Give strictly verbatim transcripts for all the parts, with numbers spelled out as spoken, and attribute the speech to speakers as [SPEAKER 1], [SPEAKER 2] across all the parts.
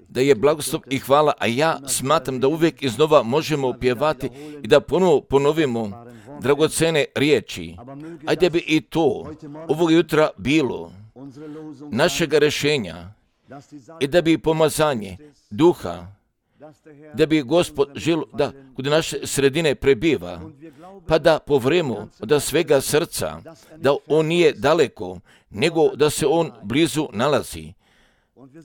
[SPEAKER 1] da je blagoslov i hvala, a ja smatram da uvijek iznova možemo pjevati i da ponovo ponovimo dragocene riječi. Ajde bi i to ovog jutra bilo našega rješenja i da bi pomazanje duha, da bi Gospod želio da kod naše sredine prebiva, pa da povremo od svega srca, da On nije daleko, nego da se On blizu nalazi.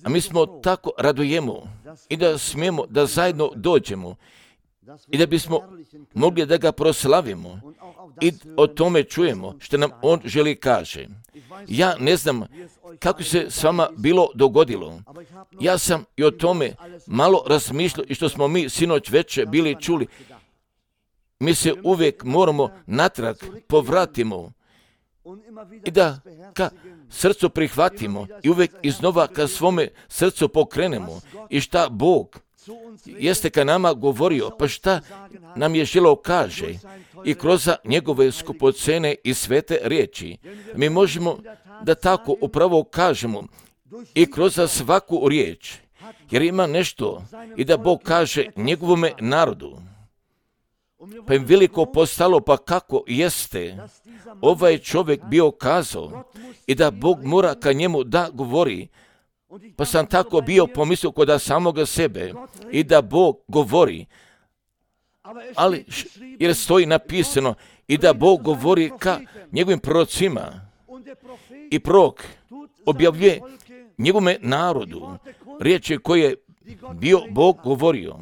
[SPEAKER 1] A mi smo tako radujemo i da smijemo da zajedno dođemo i da bismo mogli da ga proslavimo i o tome čujemo što nam On želi kaže. Ja ne znam kako se s vama bilo dogodilo. Ja sam i o tome malo razmišljao i što smo mi sinoć večer bili čuli. Mi se uvijek moramo natrag povratimo i da ka srcu prihvatimo i uvijek iznova ka svome srcu pokrenemo i šta Bog jeste ka nama govorio, pa šta nam je želeo kaže i kroz njegove skupocene i svete riječi. Mi možemo da tako upravo kažemo i kroz svaku riječ, jer ima nešto i da Bog kaže njegovome narodu. Pa im veliko postalo, pa kako jeste ovaj čovjek bio kazao i da Bog mora ka njemu da govori. Pa sam tako bio pomislio kod samoga sebe i da Bog govori, ali jer stoji napisano i da Bog govori ka njegovim prorocima i prorok objavljuje njegovome narodu riječi koje je bio Bog govorio.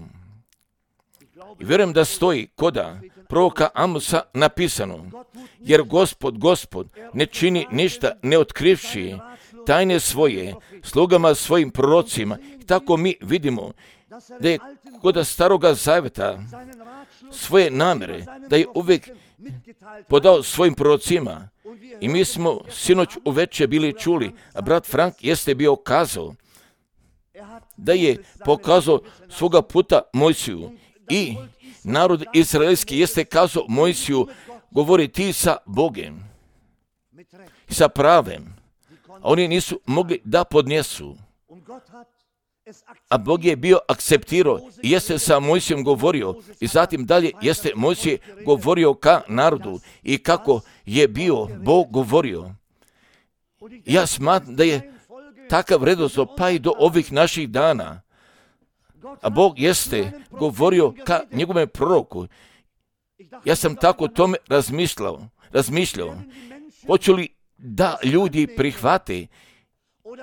[SPEAKER 1] I vjerujem da stoji koda proroka Amosa napisano, jer Gospod, Gospod ne čini ništa ne otkrivši tajne svoje slugama svojim prorocima. I tako mi vidimo da je kod staroga zavjeta svoje namjere, da je uvijek podao svojim prorocima. I mi smo sinoć uveče bili čuli, a brat Frank jeste bio kazao da je pokazao svoga puta Mojsiju i narod izraelski jeste kazao Mojsiju, govori ti sa Bogem i sa pravem, a oni nisu mogli da podnesu. A Bog je bio akceptirao i jeste sa Mojsijom govorio i zatim dalje jeste Mojsije govorio ka narodu i kako je bio Bog govorio. Ja smatram da je takav redoslov pa i do ovih naših dana. A Bog jeste govorio ka njegovome proroku. Ja sam tako tome razmišljao, razmišljao. Hoću li da ljudi prihvate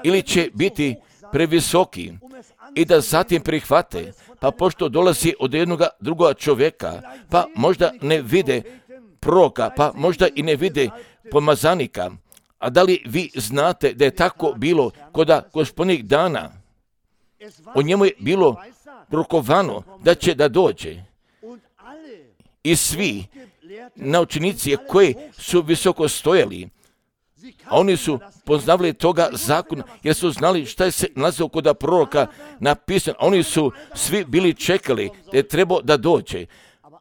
[SPEAKER 1] ili će biti previsoki i da zatim prihvate, pa pošto dolazi od jednog drugoga čovjeka, pa možda ne vide proroka, pa možda i ne vide pomazanika. A da li vi znate da je tako bilo koda gospodnjih dana? O njemu je bilo prorokovano da će da dođe. I svi naučnici koji su visoko stojali, a oni su poznavali toga zakona, jer su znali šta je se nalazilo kod proroka napisano. Oni su svi bili čekali da je trebao da dođe.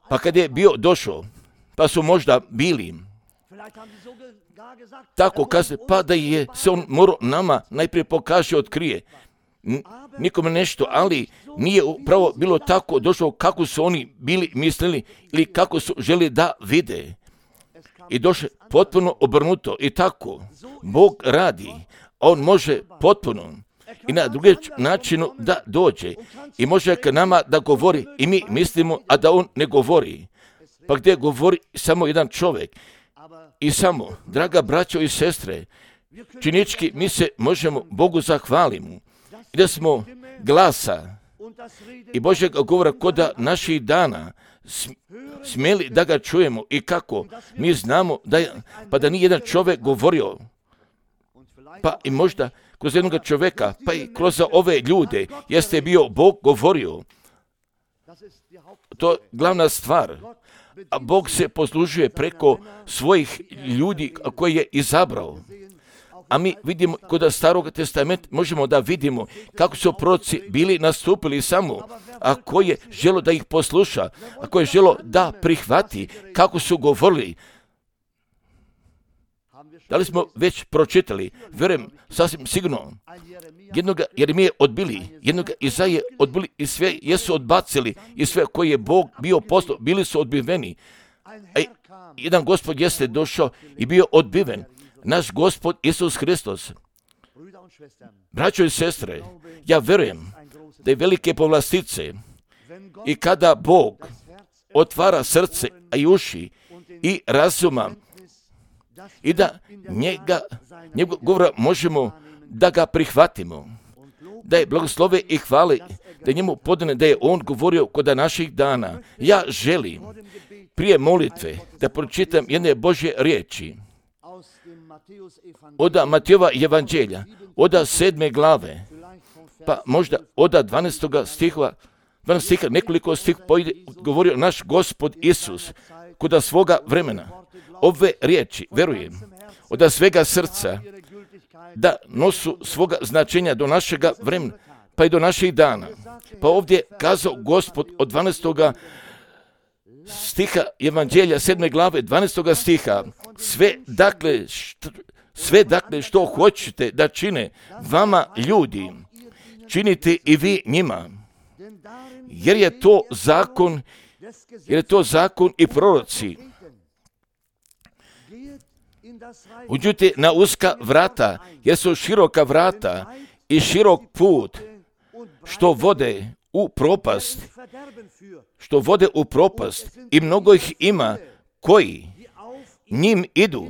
[SPEAKER 1] Pa kad je bio došao, pa su možda bili tako kaže, pa da je se on morao nama najprije pokaže, otkrije. Nikome nešto, ali nije upravo bilo tako došlo kako su oni bili mislili ili kako su želi da vide. I došlo potpuno obrnuto i tako. Bog radi, on može potpuno i na drugi način da dođe i može k nama da govori i mi mislimo, a da on ne govori. Pa gdje govori samo jedan čovjek i samo, draga braćo i sestre, činički mi se možemo Bogu zahvalimo i da smo glasa i Božjeg govora koda naših dana smjeli da ga čujemo i kako mi znamo da je, pa da nije jedan čovjek govorio, pa i možda kroz jednog čovjeka, pa i kroz ove ljude jeste bio Bog govorio. To je glavna stvar. A Bog se poslužuje preko svojih ljudi koje je izabrao. A mi vidimo kod Starog testamenta možemo da vidimo kako su proroci bili nastupili samo, a ko je želo da ih posluša, a ko je želo da prihvati kako su govorili. Da li smo već pročitali? Vjerujem, sasvim sigurno. Jednoga Jeremije odbili, jednoga Izaije odbili i sve jesu odbacili i sve koje je Bog bio poslao, bili su odbiveni. A jedan Gospod jeste došao i bio odbiven. Naš Gospod Isus Hristos. Braćo i sestre, ja vjerujem da je velike povlastice i kada Bog otvara srce i uši i razuma i da njega, njegov govora možemo da ga prihvatimo, da je blagoslove i hvale, da njemu podane da je on govorio kod naših dana. Ja želim prije molitve da pročitam jedne Božje riječi od Matejova evanđelja, od sedme glave, pa možda od dvanaestog stiha, dvanaestog stiha, nekoliko stih pojde, govorio naš Gospod Isus kod svoga vremena. Ove riječi, verujem, od svega srca, da nosu svoga značenja do našega vremena, pa i do naših dana. Pa ovdje kazao Gospod od dvanaestog stiha evanđelja, sedme glave, dvanaestog stiha, sve dakle, što, sve dakle što hoćete da čine vama ljudi, činite i vi njima, jer je to zakon, jer je to zakon i proroci. Uđite na uska vrata, jer su široka vrata i širok put, što vode u propast, što vode u propast i mnogo ih ima koji njim idu.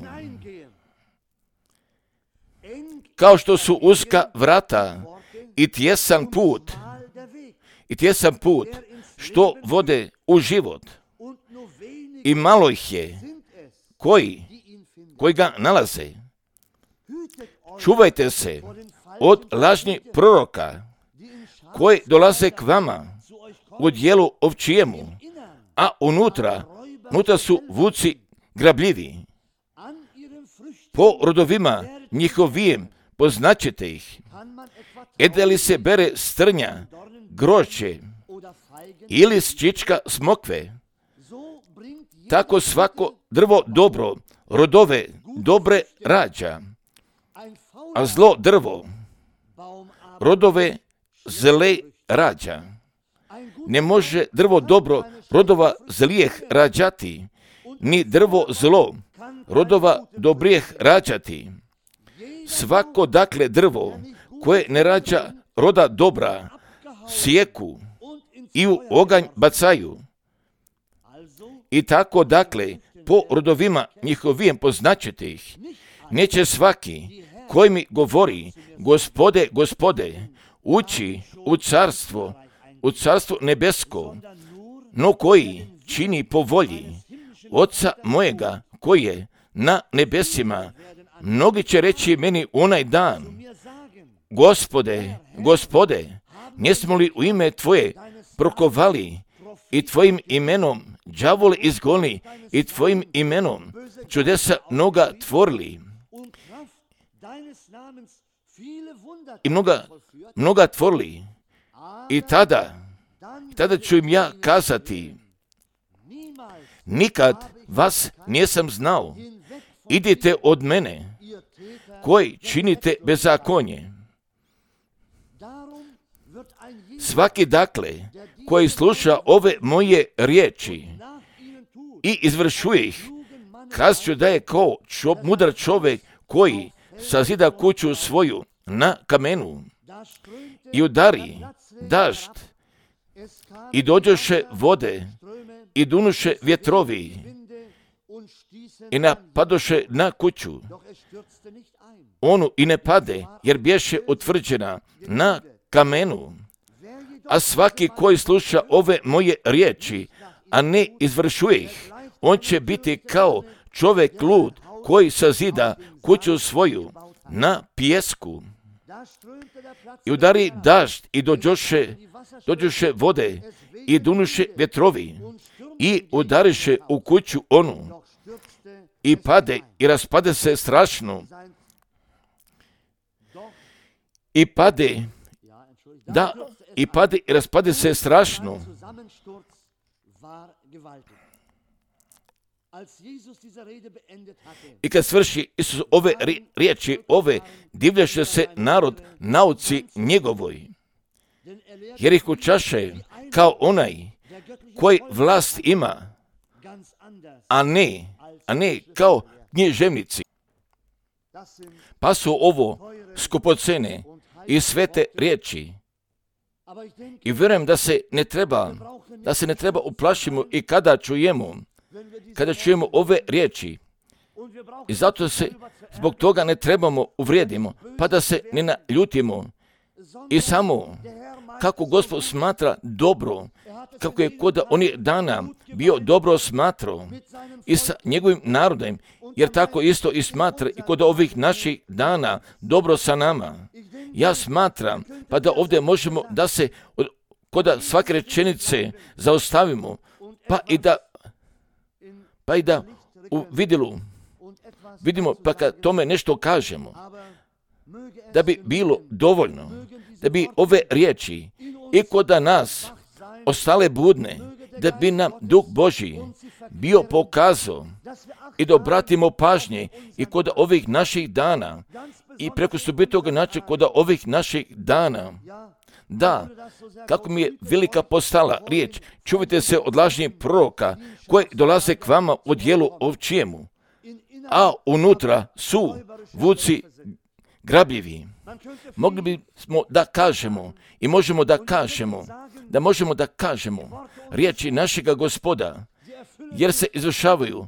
[SPEAKER 1] Kao što su uska vrata i tjesan put, i tjesan put, što vode u život. I malo ih je koji, koji ga nalaze. Čuvajte se od lažnih proroka koji dolaze k vama u dijelu ovčijemu, a unutra, unutra su vuci grabljivi. Po rodovima njihovim poznaćete ih. Ede li se bere strnja, grožđe ili sčička smokve, tako svako drvo dobro, rodove dobre rađa, a zlo drvo, rodove zle rađa. Ne može drvo dobro rodova zlijeh rađati, ni drvo zlo rodova dobrijeh rađati. Svako dakle drvo koje ne rađa roda dobra, sjeku i u oganj bacaju. I tako dakle, po rodovima njihovim poznaćete ih. Neće svaki koji mi govori, Gospode, Gospode, ući u carstvo, u carstvo nebesko, no koji čini po volji Oca mojega koji je na nebesima. Mnogi će reći meni onaj dan, Gospode, Gospode, jesmo li u ime Tvoje prokovali i Tvojim imenom đavole izgonili i Tvojim imenom čudesa mnoga tvorili i mnoga, mnoga tvorili. I tada, tada ću im ja kazati, nikad vas nisam znao, idite od mene, koji činite bezakonje. Svaki dakle, koji sluša ove moje riječi i izvršuje ih, kazat da je kao čo, mudar čovjek koji sazida kuću svoju na kamenu i udari dažd i dođoše vode i dunuše vjetrovi i napadoše na kuću. Onu i ne pade, jer bješe utvrđena na kamenu. A svaki koji sluša ove moje riječi, a ne izvršuje ih, on će biti kao čovjek lud koji sazida kuću svoju na pijesku. I udari dažd i dođoše, dođoše vode i dunuše vjetrovi i udariše u kuću onu i pade i raspade se strašno. I pade, da, i pade i raspade se strašno. I kad svrši Isus ove riječi, ove divljaše se narod nauci njegovoj, jer ih učaše kao onaj koji vlast ima, a ne, a ne kao književnici. Pa su ovo skupocene i svete riječi. I vjerujem da se ne treba, da se ne treba uplašimo i kada čujemo, kada čujemo ove riječi. I zato se zbog toga ne trebamo uvrijedimo, pa da se ne naljutimo. I samo kako Gospod smatra dobro, kako je kod onih dana bio dobro smatrao i sa njegovim narodom, jer tako isto i smatra i kod ovih naših dana dobro sa nama. Ja smatram, pa da ovdje možemo da se kod svake rečenice zaustavimo, pa i da, pa i da u vidilu vidimo, pa kad tome nešto kažemo, da bi bilo dovoljno, da bi ove riječi i kod nas ostale budne, da bi nam Duh Božji bio pokazao i da obratimo pažnje i kod ovih naših dana i preko subitog načina kod ovih naših dana. Da, kako mi je velika postala riječ, čuvajte se od lažnih proroka koji dolaze k vama u dijelu ovčijemu, a unutra su vuci grabljivi. Mogli bismo da kažemo i možemo da kažemo, da možemo da kažemo riječi našega Gospoda, jer se izvršavaju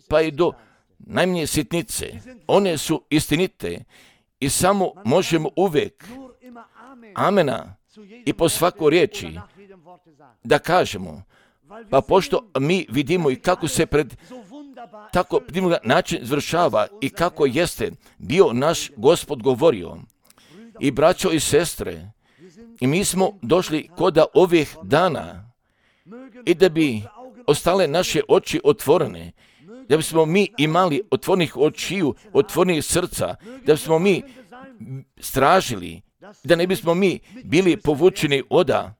[SPEAKER 1] pa i do najmanje sitnice. One su istinite i samo možemo uvijek amena i po svakoj riječi da kažemo. Pa pošto mi vidimo i kako se pred tako divnog način izvršava i kako jeste bio naš Gospod govorio. I braćo i sestre, i mi smo došli kod ovih dana i da bi ostale naše oči otvorene, da bismo mi imali otvornih očiju, otvornih srca, da bismo mi stražili, da ne bismo mi bili povučeni oda,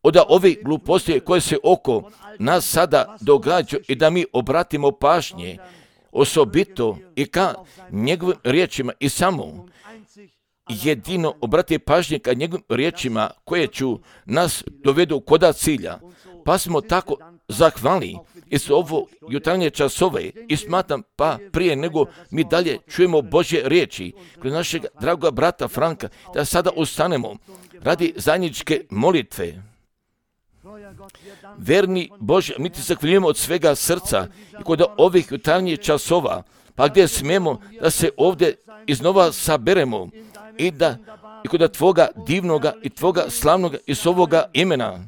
[SPEAKER 1] oda ove gluposti koje se oko nas sada događaju i da mi obratimo pažnje osobito i ka njegovim riječima i samo jedino obrati pažnje ka njegovim riječima koje ću nas dovedu koda cilja. Pa smo tako zahvalni i su ovo jutarnje časove i smatram pa prije nego mi dalje čujemo Božje riječi kroz našeg dragoga brata Franka, da sada ustanemo radi zajedničke molitve. Verni Bože, mi ti zahvaljujemo od svega srca i kod ovih jutarnjih časova, pa gdje smijemo da se ovdje iznova saberemo i da i kod Tvoga divnoga i Tvoga slavnoga i svoga imena.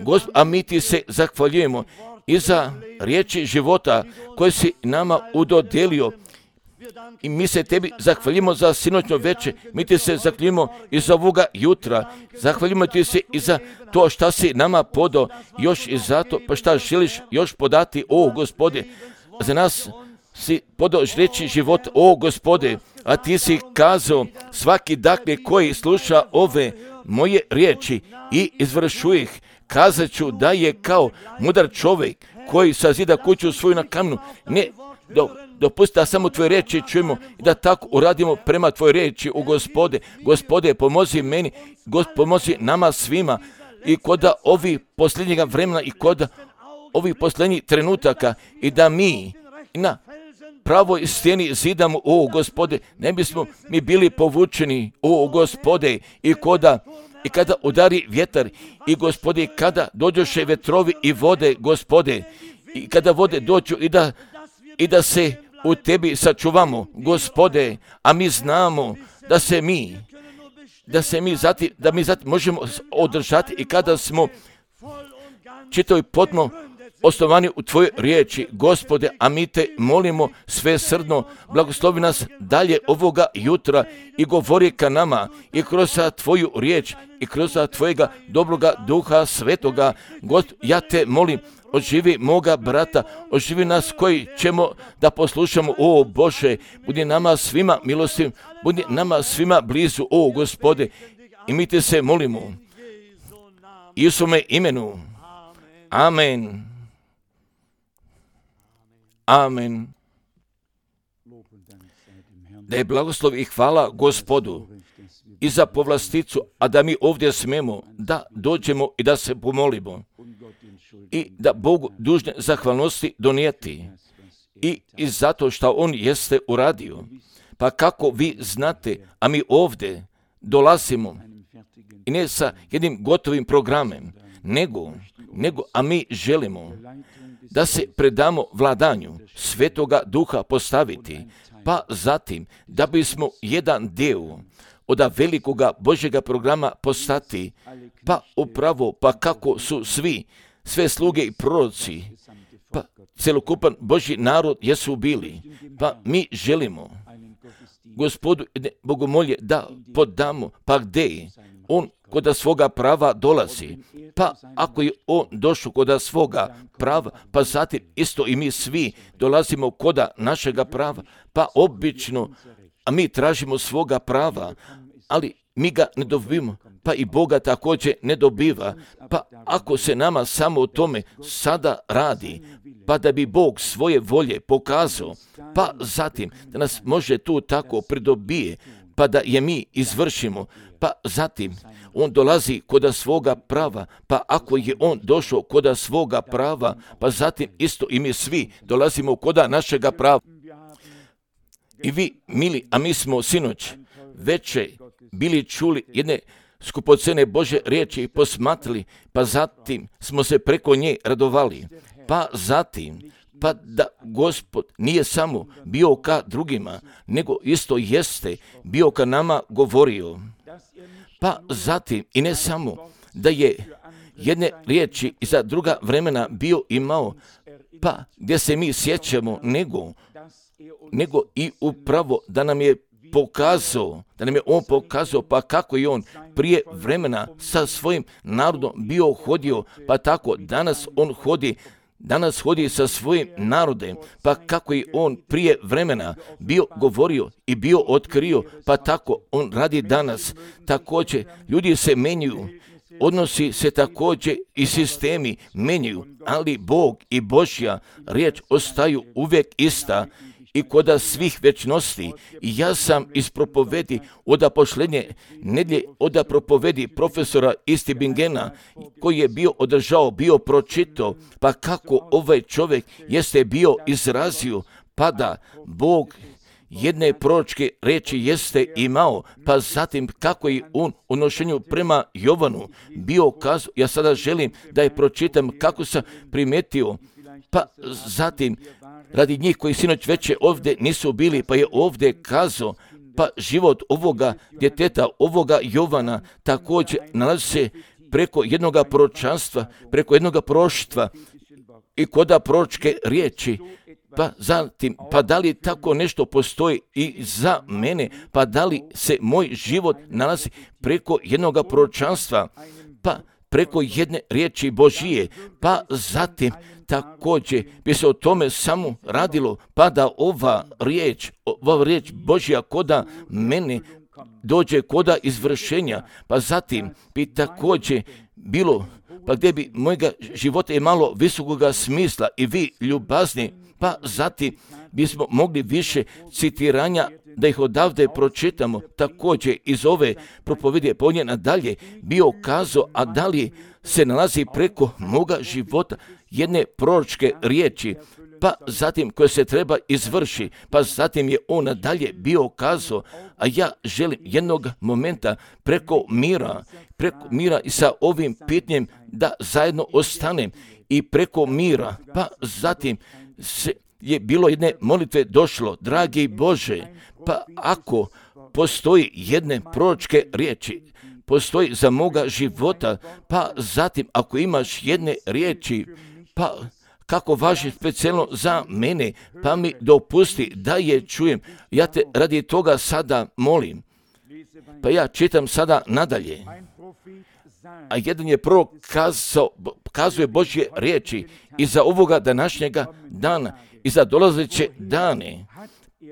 [SPEAKER 1] Gospod, a mi ti se zahvaljujemo i za riječi života koje si nama udodijelio. I mi se tebi zahvaljujemo za sinoćno veče, mi ti se zahvaljujemo i za ovoga jutra, zahvaljujemo ti se i za to šta si nama podao, još i zato pa šta želiš još podati, o Gospode, za nas si podao reći život, o Gospode, a ti si kazao svaki dakle koji sluša ove moje riječi i izvršuje ih, kazat ću da je kao mudar čovjek koji sazida kuću svoju na kamnu, ne do, dopusti da samo tvoje riječi čujemo i da tako uradimo prema tvoje riječi, u Gospode. Gospode, pomozi meni, Gospod, pomozi nama svima i kod ovih posljednjega vremena i kod ovih posljednjih trenutaka i da mi na pravoj stijeni zidamo, o Gospode, ne bismo mi bili povučeni, o Gospode, i koda i kada udari vjetar i Gospode, kada dođoše vetrovi i vode, Gospode, i kada vode dođu i da, i da se u tebi sačuvamo, Gospode, a mi znamo da se mi da se mi zati, da mi zati možemo održati i kada smo čitavi potpuno osnovani u Tvojoj riječi, Gospode, a mi te molimo sve srdno, blagoslovi nas dalje ovoga jutra i govori ka nama i kroz Tvoju riječ i kroz Tvojega dobroga Duha Svetoga. Gospod, ja te molim, oživi moga brata, oživi nas koji ćemo da poslušamo, o Bože, budi nama svima milostiv, budi nama svima blizu, o Gospode, i mi te se molimo. Isume imenu. Amen. Amen. Da je blagoslov i hvala Gospodu i za povlasticu, a da mi ovdje smemo da dođemo i da se pomolimo i da Bogu dužne zahvalnosti donijeti i, i zato što On jeste uradio. Pa kako vi znate, a mi ovdje dolazimo i ne sa jednim gotovim programem, nego, nego a mi želimo da se predamo vladanju Svetoga Duha postaviti, pa zatim da bismo jedan dio od velikoga Božjega programa postati, pa upravo, pa kako su svi, sve sluge i proroci, pa celokupan Božji narod jesu bili, pa mi želimo Gospodu bogomolje da podamo, pa gdje On kod svoga prava dolazi, pa ako je On došao kod svoga prava, pa zatim isto i mi svi dolazimo kod našega prava, pa obično, a mi tražimo svoga prava, ali mi ga ne dobivamo, pa i Boga također ne dobiva, pa ako se nama samo o tome sada radi, pa da bi Bog svoje volje pokazao, pa zatim da nas može tu tako pridobije, pa da je mi izvršimo, pa zatim On dolazi kod svoga prava, pa ako je On došao kod svoga prava, pa zatim isto i mi svi dolazimo kod našega prava. I vi, mili, a mi smo sinoć veče bili čuli jedne skupocene Božje riječi i posmatrali, pa zatim smo se preko nje radovali. Pa zatim, pa da Gospod nije samo bio ka drugima, nego isto jeste bio ka nama govorio. Pa zatim, i ne samo da je jedne riječi i za druga vremena bio imao, pa gdje se mi sjećamo, nego, nego i upravo da nam je pokazao, da nam je On pokazao, pa kako je On prije vremena sa svojim narodom bio hodio, pa tako danas On hodi, danas hodi sa svojim narodem, pa kako je On prije vremena bio govorio i bio otkrio, pa tako On radi danas. Također, ljudi se menjaju, odnosi se također i sistemi menjaju, ali Bog i Božja riječ ostaju uvijek ista i kod svih večnosti. I ja sam iz propovedi od posljednje nedjelje od propovedi profesora Istibingena koji je bio održao, bio pročitao, pa kako ovaj čovjek jeste bio izrazio, pa da Bog jedne proročke riječi jeste imao, pa zatim kako je On u nošenju prema Jovanu bio kazao, ja sada želim da je pročitam kako sam primetio, pa zatim radi njih koji sinoć veće ovdje nisu bili, pa je ovdje kazao, pa život ovoga djeteta, ovoga Jovana također nalazi se preko jednoga proročanstva, preko jednoga proroštva i koda proročke riječi. Pa zatim, pa da li tako nešto postoji i za mene, pa da li se moj život nalazi preko jednoga proročanstva, pa preko jedne riječi Božije, pa zatim također bi se o tome samo radilo, pa da ova riječ, ova riječ Božja koda mene dođe koda izvršenja, pa zatim bi također bilo, pa gdje bi mojega života je malo visokoga smisla i vi ljubazni, pa zatim bismo mogli više citiranja da ih odavde pročitamo, također iz ove propovedi ponje nadalje bio kazao, a da li se nalazi preko moga života jedne proročke riječi, pa zatim koje se treba izvrši, pa zatim je On nadalje bio kazao, a ja želim jednog momenta preko mira, preko mira i sa ovim pitanjem da zajedno ostanem i preko mira, pa zatim se je bilo jedne molitve došlo, dragi Bože, pa ako postoji jedne proročke riječi, postoji za moga života, pa zatim ako imaš jedne riječi, pa kako važi specijalno za mene, pa mi dopusti da je čujem. Ja te radi toga sada molim. Pa ja čitam sada nadalje. A jedan je prorok kazao, kazuje Božje riječi i za ovoga današnjega dana i za dolazeće dane.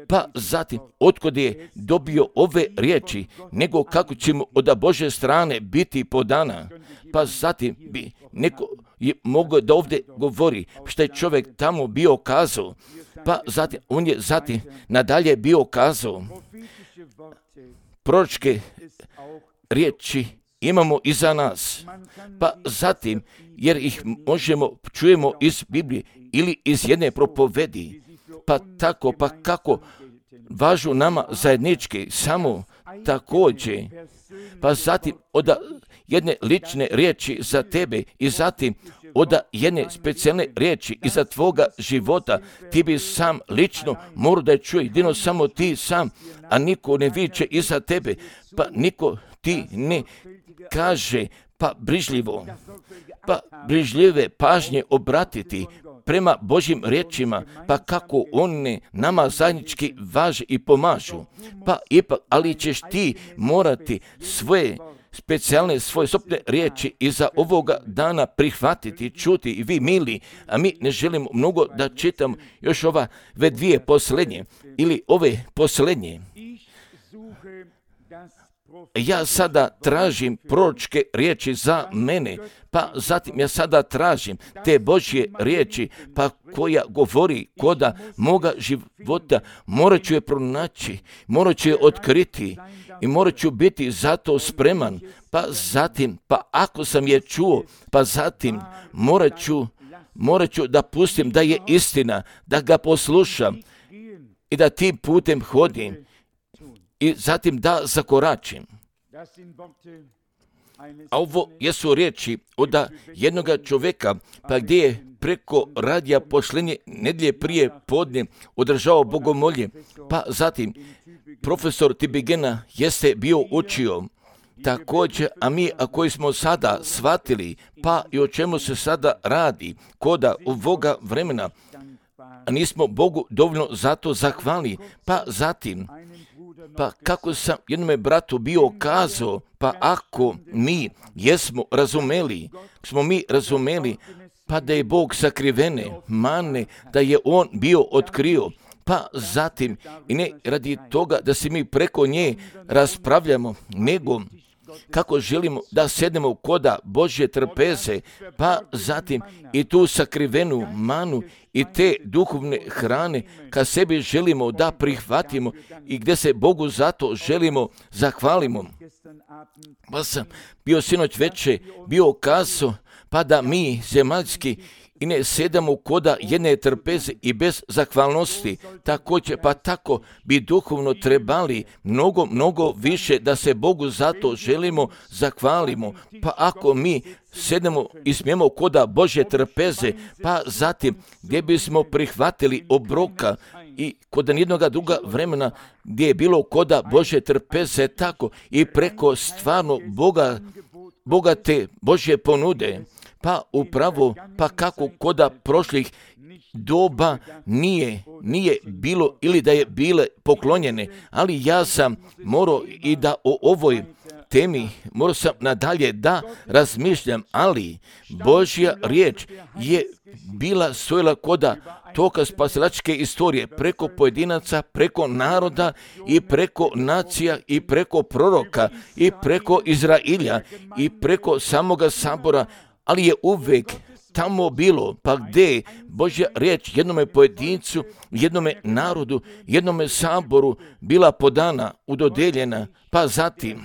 [SPEAKER 1] Pa zatim, otkud je dobio ove riječi, nego kako ćemo od Božje strane biti podana. Pa zatim bi neko je mogao da ovdje govori što je čovjek tamo bio kazao. Pa zatim, on je zatim nadalje bio kazao, proročke riječi imamo iza nas. Pa zatim, jer ih možemo, čujemo iz Biblije ili iz jedne propovedi, pa tako, pa kako važu nama zajednički, samo također, pa zatim od jedne lične riječi za tebe i zatim od jedne specijalne riječi iza tvoga života, ti bi sam lično morao da je čuje, jedino samo ti sam, a niko ne viče iza tebe, pa niko ti ne kaže, pa brižljivo, pa brižljive pažnje obratiti prema Božjim riječima, pa kako one nama zajednički važe i pomažu, pa ipak, ali ćeš ti morati svoje specijalne, svoje sobne riječi iza ovoga dana prihvatiti, čuti i vi mili, a mi ne želimo mnogo da čitam još ova ve dvije posljednje ili ove posljednje. Ja sada tražim proročke riječi za mene, pa zatim ja sada tražim te Božje riječi, pa koja govori koda moga života, morat ću je pronaći, morat ću je otkriti i morat ću biti zato spreman, pa zatim, pa ako sam je čuo, pa zatim morat ću, morat ću da pustim da je istina, da ga poslušam i da tim putem hodim i zatim da zakoračim. A ovo jesu riječi od jednog čovjeka, pa gdje je preko radija posljednje nedjelje prije podne održao bogomolje, pa zatim profesor Tibigena jeste bio učio. Također, a mi a koji smo sada shvatili, pa i o čemu se sada radi, koda ovoga vremena, a nismo Bogu dovoljno zato zahvali, pa zatim, pa kako sam jednome bratu bio kazao, pa ako mi jesmo razumeli, smo mi razumeli, pa da je Bog sakrivene mane, da je On bio otkrio, pa zatim i ne radi toga da se mi preko nje raspravljamo, nego kako želimo da sednemo koda Božje trpeze, pa zatim i tu sakrivenu manu i te duhovne hrane ka sebi želimo da prihvatimo i gdje se Bogu zato želimo zahvalimo. Pa sam bio sinoć veče, bio kazao, pa da mi zemaljski i ne sedamo koda jedne trpeze i bez zahvalnosti, također pa tako bi duhovno trebali mnogo, mnogo više da se Bogu zato želimo zahvalimo. Pa ako mi sedemo i smijemo koda Božje trpeze, pa zatim gdje bismo prihvatili obroka i kod nijednoga druga vremena gdje je bilo koda Božje trpeze tako i preko stvarno Boga, bogate Božje ponude, pa upravo, pa kako koda prošlih doba nije, nije bilo ili da je bile poklonjene, ali ja sam morao i da o ovoj temi morao sam nadalje da razmišljam, ali Božja riječ je bila stojila koda toka spasilačke istorije preko pojedinaca, preko naroda i preko nacija i preko proroka i preko Izrailja i preko samoga sabora, ali je uvijek tamo bilo, pa gdje Božja riječ jednome pojedincu, jednome narodu, jednome saboru bila podana, udodeljena, pa zatim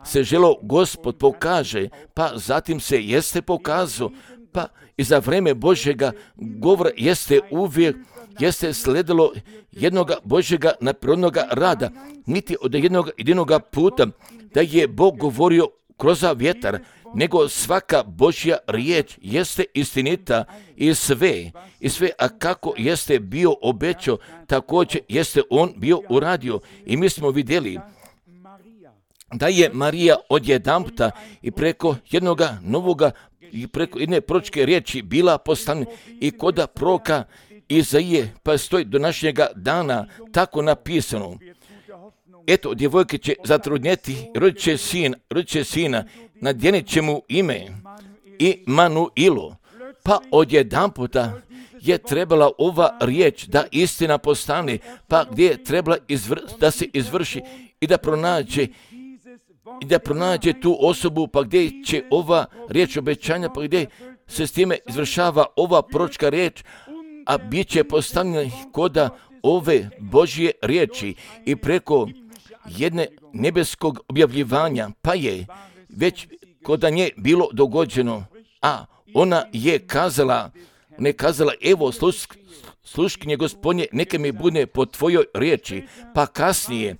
[SPEAKER 1] se želo Gospod pokaže, pa zatim se jeste pokazao, pa i za vreme Božjega govora jeste uvijek, jeste sledilo jednoga Božjega naprirodnoga rada, niti od jednog jedinog puta da je Bog govorio kroz vjetar, nego svaka Božja riječ jeste istinita i sve, i sve, a kako jeste bio obećao, također jeste on bio uradio. I mi smo vidjeli da je Marija odjedanputa i preko jednoga novoga i preko jedne proročke riječi bila poslana i koda proroka Izaije, pa stoji do našega dana tako napisano. Eto, djevojke će zatrudnjeti, rodit će sin, rodit će sina, nadjenit će mu ime Imanuilo. Pa odjedanputa je trebala ova riječ da istina postane, pa gdje je trebala izvr- da se izvrši i da pronađe i da pronađe tu osobu, pa gdje će ova riječ obećanja, pa gdje se s time izvršava ova proročka riječ, a bit će postavljeni koda ove Božje riječi i preko jedne nebeskog objavljivanja, pa je već koda nje bilo dogođeno, a ona je kazala, ne kazala, evo sluš, sluškinje Gospodnje, neka mi bude po tvojoj riječi, pa kasnije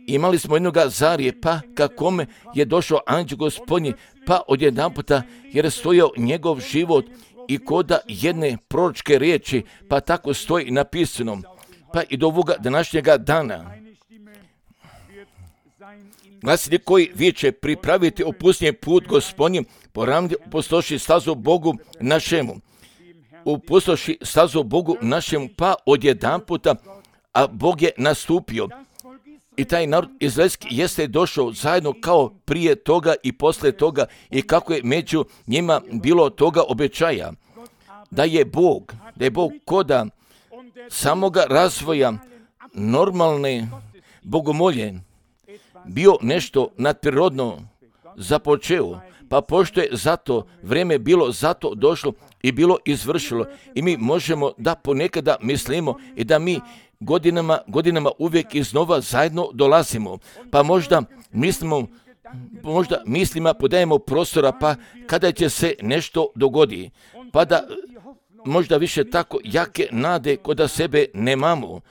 [SPEAKER 1] imali smo jednoga Zarije, pa kakome je došao anđeo Gospodnji, pa odjedanputa je stojao njegov život i koda jedne proročke riječi, pa tako stoji napisano, pa i do ovoga današnjega dana. Glasili koji viče, pripraviti opusnije put Gospodnji, poravnati upustoši stazu Bogu našemu. Upustoši stazu Bogu našemu, pa odjedanputa, a Bog je nastupio. I taj narod izraelski jeste došao zajedno kao prije toga i posle toga i kako je među njima bilo toga obećaja. Da je Bog, da je Bog koda samoga razvoja normalne bogomolje bio nešto nadprirodno započeo, pa pošto je zato vrijeme bilo zato došlo i bilo izvršilo i mi možemo da ponekada mislimo i da mi godinama, godinama uvijek iznova zajedno dolazimo, pa možda mislimo, možda mislima podajemo prostora, pa kada će se nešto dogodi, pa da možda više tako jake nade kod sebe nemamo,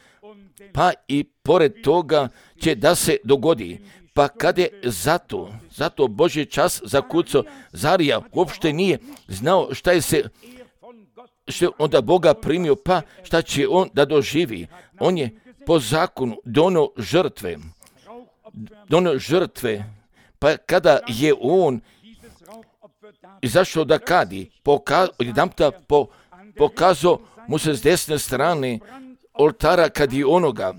[SPEAKER 1] pa i pored toga će da se dogodi. Pa kad je zato, zato Božji čas zakucao, Zarija uopšte nije znao šta je se, što je onda Boga primio, pa šta će on da doživi. On je po zakonu donio žrtve, donio žrtve, pa kada je on izašao da kadi, poka, odjedanputa po, pokazao mu se s desne strane oltara kad je onoga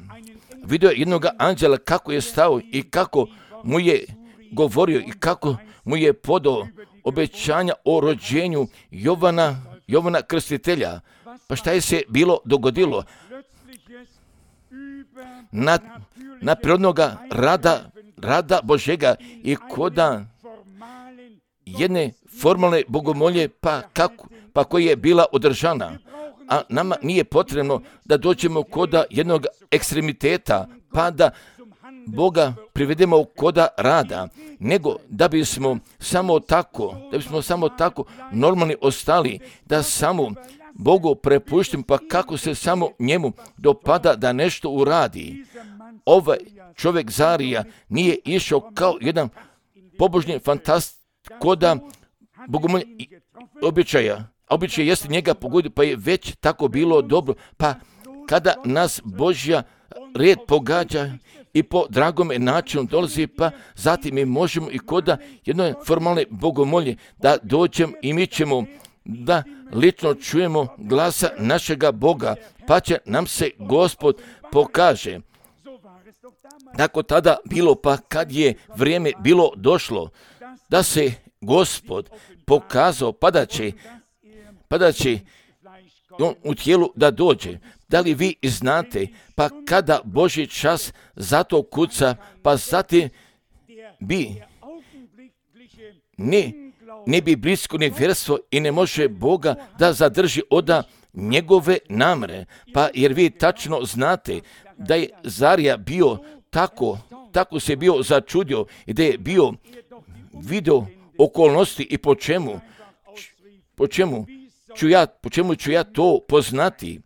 [SPEAKER 1] vidio jednoga anđela kako je stao i kako mu je govorio i kako mu je podao obećanja o rođenju Jovana, Jovana Krstitelja. Pa šta je se bilo dogodilo? Na, na prirodnoga rada, rada Božega i koda jedne formalne bogomolje, pa, kako, pa koja je bila održana. A nama nije potrebno da dođemo koda jednog ekstremiteta, pa da Boga privedemo koda rada, nego da bismo samo tako, da bismo samo tako normalni ostali, da samo Bogu prepuštim, pa kako se samo njemu dopada da nešto uradi. Ovaj čovjek Zarija nije išao kao jedan pobožni fantast koda bogomolja običaja. Običaj jeste njega pogodio, pa je već tako bilo dobro. Pa kada nas Božja red pogađa i po dragome načinu dolazi, pa zatim mi možemo i koda jednoj formalne bogomolje da dođemo i mi ćemo da lično čujemo glasa našega Boga, pa će nam se Gospod pokaže. Tako tada bilo, pa kad je vrijeme bilo došlo da se Gospod pokazao, pa da će pa da će on u tijelu da dođe. Da li vi znate, pa kada Božji čas zato kuca, pa zatim bi ne, ne bi blisko nevjerstvo i ne može Boga da zadrži oda njegove namre. Pa jer vi tačno znate da je Zarija bio tako, tako se bio začudio i da je bio video okolnosti i po čemu, po čemu ću ja, po čemu ću ja to poznati.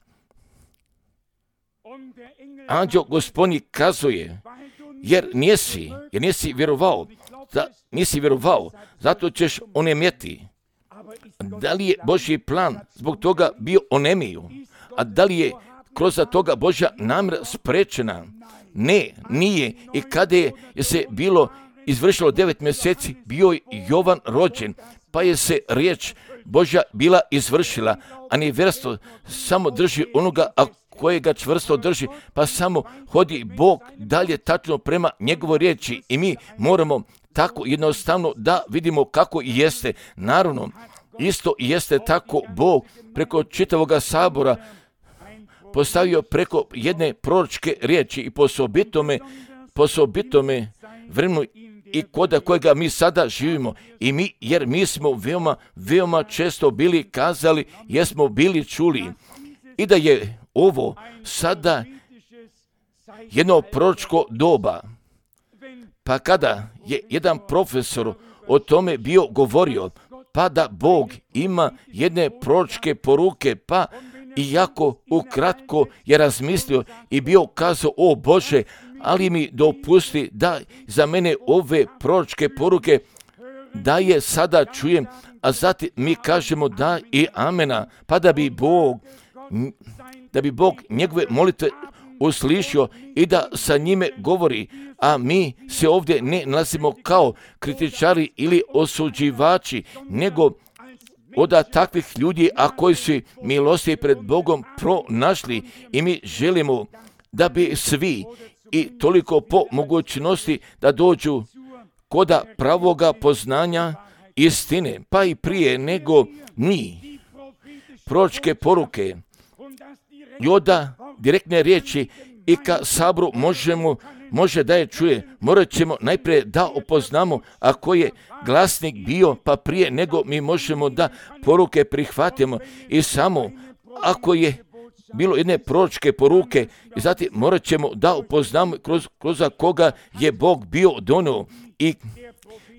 [SPEAKER 1] Anđeo Gospodnji kazuje, jer nisi, jer nisi vjerovao, da nisi vjerovao, zato ćeš onemjeti. Da li je Božji plan zbog toga bio onemio? A da li je kroz toga Božja namjera sprečena? Ne, nije. I kada je se bilo izvršilo devet mjeseci, bio je Jovan rođen, pa je se riječ Božja bila izvršila, a nevjerstvo samo drži onoga, a kojega čvrsto drži, pa samo hodi Bog dalje tačno prema njegovoj riječi i mi moramo tako jednostavno da vidimo kako jeste. Naravno, isto jeste tako Bog preko čitavoga sabora postavio preko jedne proročke riječi i po osobitome, po osobitome vremenu i koda kojega mi sada živimo i mi, jer mi smo veoma, veoma često bili kazali, jer smo bili čuli i da je ovo sada jedno proročko doba. Pa kada je jedan profesor o tome bio govorio, pa da Bog ima jedne proročke poruke, pa iako ukratko je razmislio i bio kazao, o Bože, ali mi dopusti da za mene ove proročke poruke da je sada čujem, a zatim mi kažemo da i amena, pa da bi Bog, da bi Bog njegove molitve uslišio i da sa njime govori, a mi se ovdje ne nalazimo kao kritičari ili osuđivači, nego od takvih ljudi, a koji su milosti pred Bogom pronašli, i mi želimo da bi svi i toliko po mogućnosti da dođu koda pravoga poznanja istine, pa i prije nego mi proročke poruke i onda direktne riječi i ka sabru možemo, može da je čuje, morat ćemo najprije da upoznamo ako je glasnik bio, pa prije nego mi možemo da poruke prihvatimo, i samo ako je bilo jedne proročke poruke, i zatim morat ćemo da upoznamo kroz, kroz koga je Bog bio donio i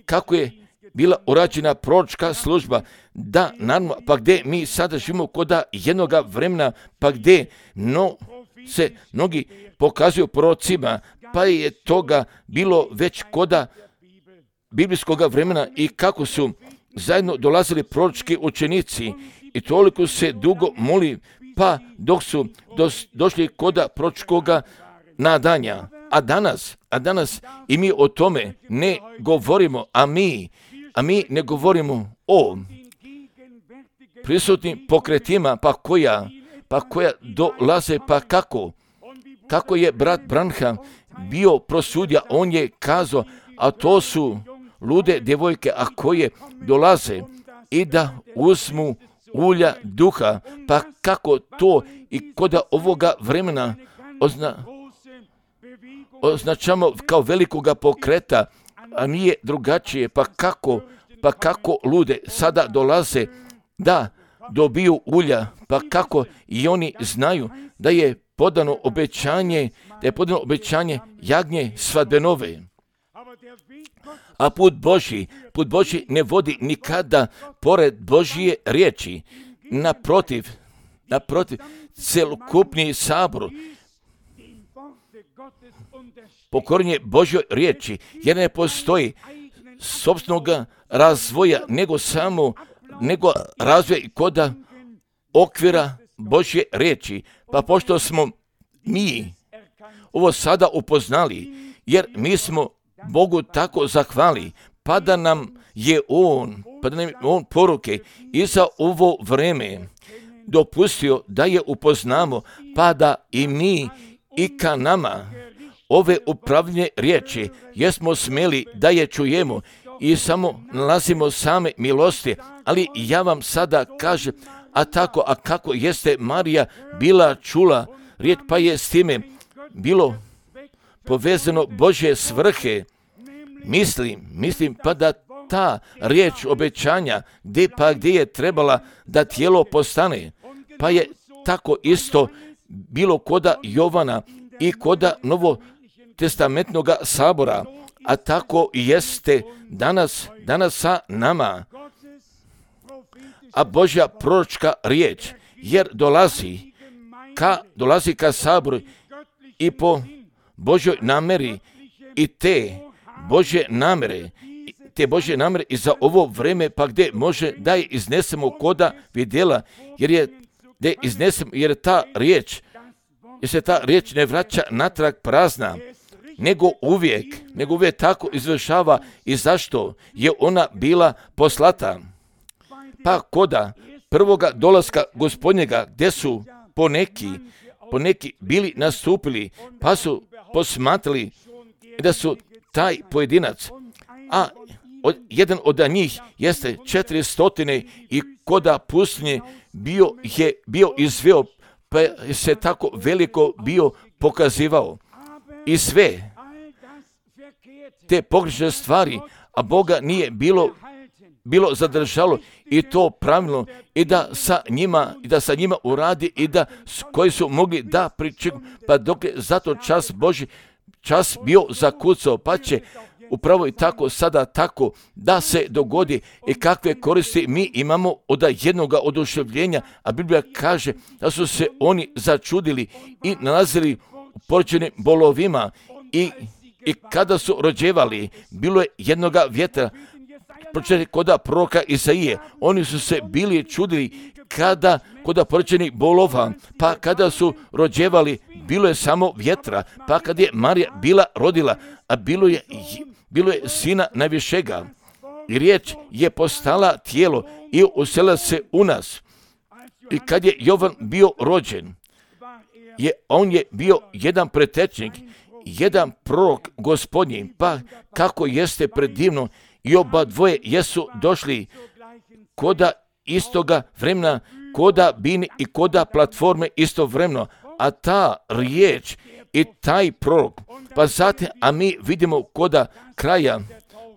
[SPEAKER 1] kako je bila urađena proročka služba, da naravno, pa gdje mi sada živimo koda jednoga vremena, pa gdje no, se mnogi pokazuju prorocima, pa je toga bilo već koda biblijskoga vremena i kako su zajedno dolazili proročki učenici i toliko se dugo moli, pa dok su dos, došli koda proročkoga nadanja. A danas, a danas i mi o tome ne govorimo, a mi, a mi ne govorimo o prisutnim pokretima, pa koja, pa koja dolaze, pa kako, kako je brat Branham bio prosudio, on je kazao, a to su lude djevojke, a koje dolaze i da uzmu ulja duha, pa kako to i koda ovoga vremena ozna, označamo kao velikoga pokreta, a nije drugačije, pa kako, pa kako lude sada dolaze da dobiju ulja, pa kako i oni znaju da je podano obećanje, da je podano obećanje jagnje svadbenove. A put Božji, put Božji ne vodi nikada pored Božje riječi. Naprotiv, naprotiv, celokupni sabor pokorenje Božjoj riječi, jer ne postoji sopstvenog razvoja, nego samo nego razvoj koda okvira Božje riječi. Pa pošto smo mi ovo sada upoznali, jer mi smo Bogu tako zahvali, pa da nam je On, pa da nam je On poruke i za ovo vreme dopustio da je upoznamo, pa da i mi i ka nama ove upravljene riječi, jesmo smeli da je čujemo i samo nalazimo same milosti, ali ja vam sada kažem, a tako, a kako jeste Marija bila čula riječ, pa je s time bilo povezano Božje svrhe, mislim, mislim pa da ta riječ obećanja, gdje pa gdje je trebala da tijelo postane, pa je tako isto bilo koda Jovana i koda novotestamentnog sabora, a tako jeste danas, danas sa nama. A Božja proročka riječ, jer dolazi ka, dolazi ka saboru i po Božjoj nameri i te Božje namere, te Božje namere i za ovo vreme, pa gdje može da je iznesemo koda vidjela, jer je da iznesemo, jer ta riječ, jer se ta riječ ne vraća natrag prazna, nego uvijek, nego uvijek tako izvršava. I zašto je ona bila poslata? Pa koda prvoga dolaska Gospodnjega, gdje su poneki, poneki bili nastupili, pa su posmatrali da su taj pojedinac, a od, jedan od njih jeste četiri stotine i koda pustinje bio je bio izveo, pa se tako veliko bio pokazivao. I sve te pogrešne stvari, a Boga nije bilo bilo zadržalo i to pravilno i da sa njima, i da sa njima uradi i da koji su mogli da pričekaju, pa dok je zato čas Božji, čas bio zakucao, pa će upravo i tako sada tako da se dogodi i kakve koristi mi imamo od jednog oduševljenja, a Biblija kaže da su se oni začudili i nalazili u porođenim bolovima i, i kada su rođevali, bilo je jednoga vjetra, pročitati koda proroka Isaije, oni su se bili čudili kada koda porođenih bolova, pa kada su rođevali, bilo je samo vjetra, pa kad je Marija bila rodila, a bilo je bilo je sina najvišega i riječ je postala tijelo i uselila se u nas. I kad je Jovan bio rođen, je, on je bio jedan pretečnik, jedan prorok gospodnji, pa kako jeste predivno i oba dvoje jesu došli koda istoga vremena, koda bini i koda platforme istovremeno, a ta riječ i taj prorok, pa zatim, a mi vidimo koda kraja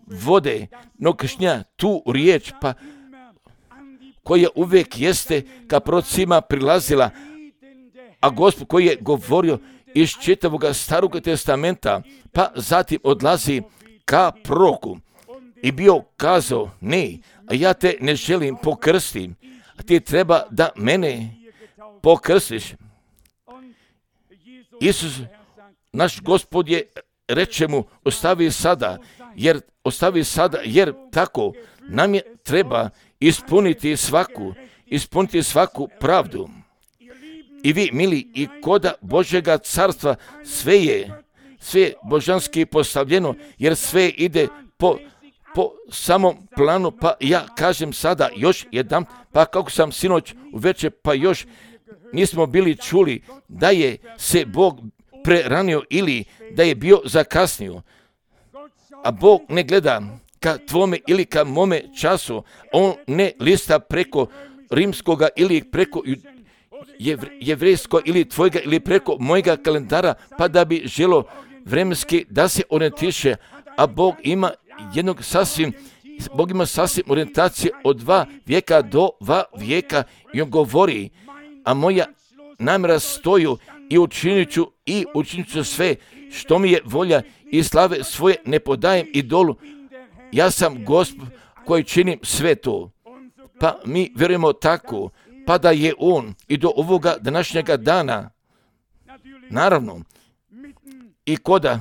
[SPEAKER 1] vode nokršnja tu riječ, pa koja uvijek jeste ka prorocima prilazila, a Gospod koji je govorio iz čitavog Starog testamenta, pa zatim odlazi ka proroku i bio kazao, ne, a ja te ne želim pokrstiti, a ti treba da mene pokrstiš. Isus, naš Gospod je, reče mu, ostavi sada, jer ostavi sada, jer tako nam je treba ispuniti svaku, ispuniti svaku pravdu. I vi, mili, i koda Božjega carstva sve je, sve je božanski postavljeno, jer sve ide po, po samom planu, pa ja kažem sada još jedan, pa kako sam sinoć uveče, pa još nismo bili čuli da je se Bog preranio ili da je bio zakasnio. A Bog ne gleda ka tvome ili ka mome času, on ne lista preko rimskoga ili preko jevrejskog ili tvojega ili preko mojega kalendara, pa da bi želo vremenski da se orijentiše, a Bog ima jednog sasvim, Bog ima sasvim orijentacije od dva vijeka do dva vijeka i on govori, a moja namjera stoju i učinit ću i učinit ću sve što mi je volja i slave svoje ne podajem idolu. Ja sam Gospod koji činim sve to. Pa mi vjerujemo tako, pa da je on i do ovoga današnjega dana, naravno, i koda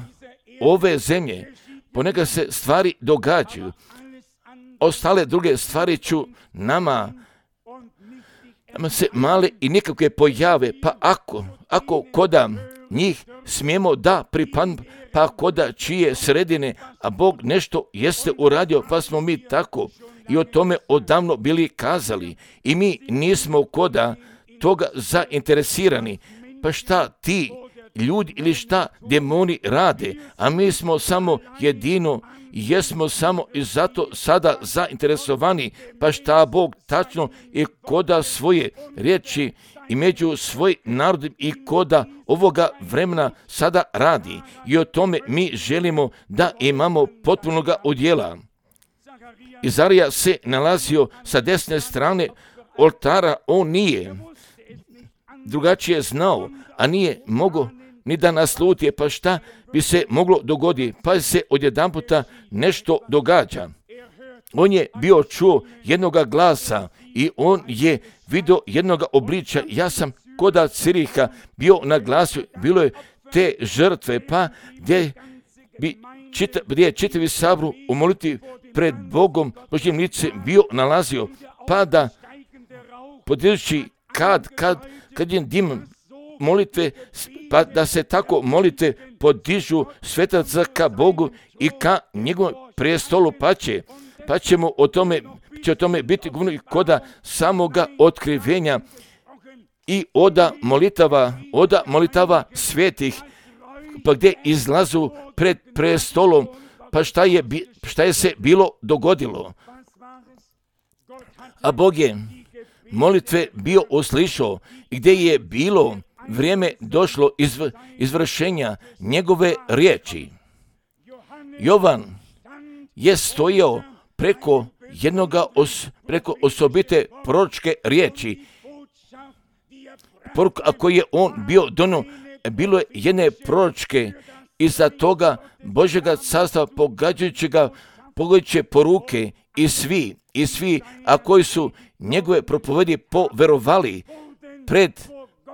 [SPEAKER 1] ove zemlje ponekad se stvari događaju, ostale druge stvari ću nama nama se male i nikakve pojave, pa ako, ako koda njih smijemo da pripadnu, pa koda čije sredine, a Bog nešto jeste uradio, pa smo mi tako i o tome odavno bili kazali i mi nismo koda toga zainteresirani, pa šta ti ljudi ili šta demoni rade, a mi smo samo jedino, jesmo samo i zato sada zainteresovani, pa šta Bog tačno i koda svoje riječi i među svoj narodom i koda ovoga vremena sada radi i o tome mi želimo da imamo potpunoga udjela. Izarija se nalazio sa desne strane oltara, on nije drugačije znao, a nije mogao ni da nasluti, pa šta bi se moglo dogoditi, pa se odjedanputa nešto događa. On je bio čuo jednoga glasa i on je vidio jednoga obličja. Ja sam koda Ciriha bio na glasu, bilo je te žrtve, pa gdje bi čita, gdje je čitavi sabor u molitvi pred Bogom Božjim licem bio nalazio, pa da podižući kad, kad, kad je dim molitve, pa da se tako molitve podižu svetaca ka Bogu i ka njegovom prijestolu, pa će, pa ćemo o tome, će o tome biti govorno i koda samoga otkrivenja i oda molitava, oda molitava svetih, pa gdje izlazu pred prestolom, pa šta je, šta je se bilo dogodilo. A Bog je molitve bio uslišao, gdje je bilo vrijeme došlo izv, izvršenja njegove riječi. Jovan je stojao preko jednoga os, preko osobite proročke riječi. Poruka koju je on bio dono, bilo je jedne proročke, iza toga Božjega carstva pogađajućega, pogađajuće poruke i svi, i svi, a koji su njegove propovedi poverovali, pred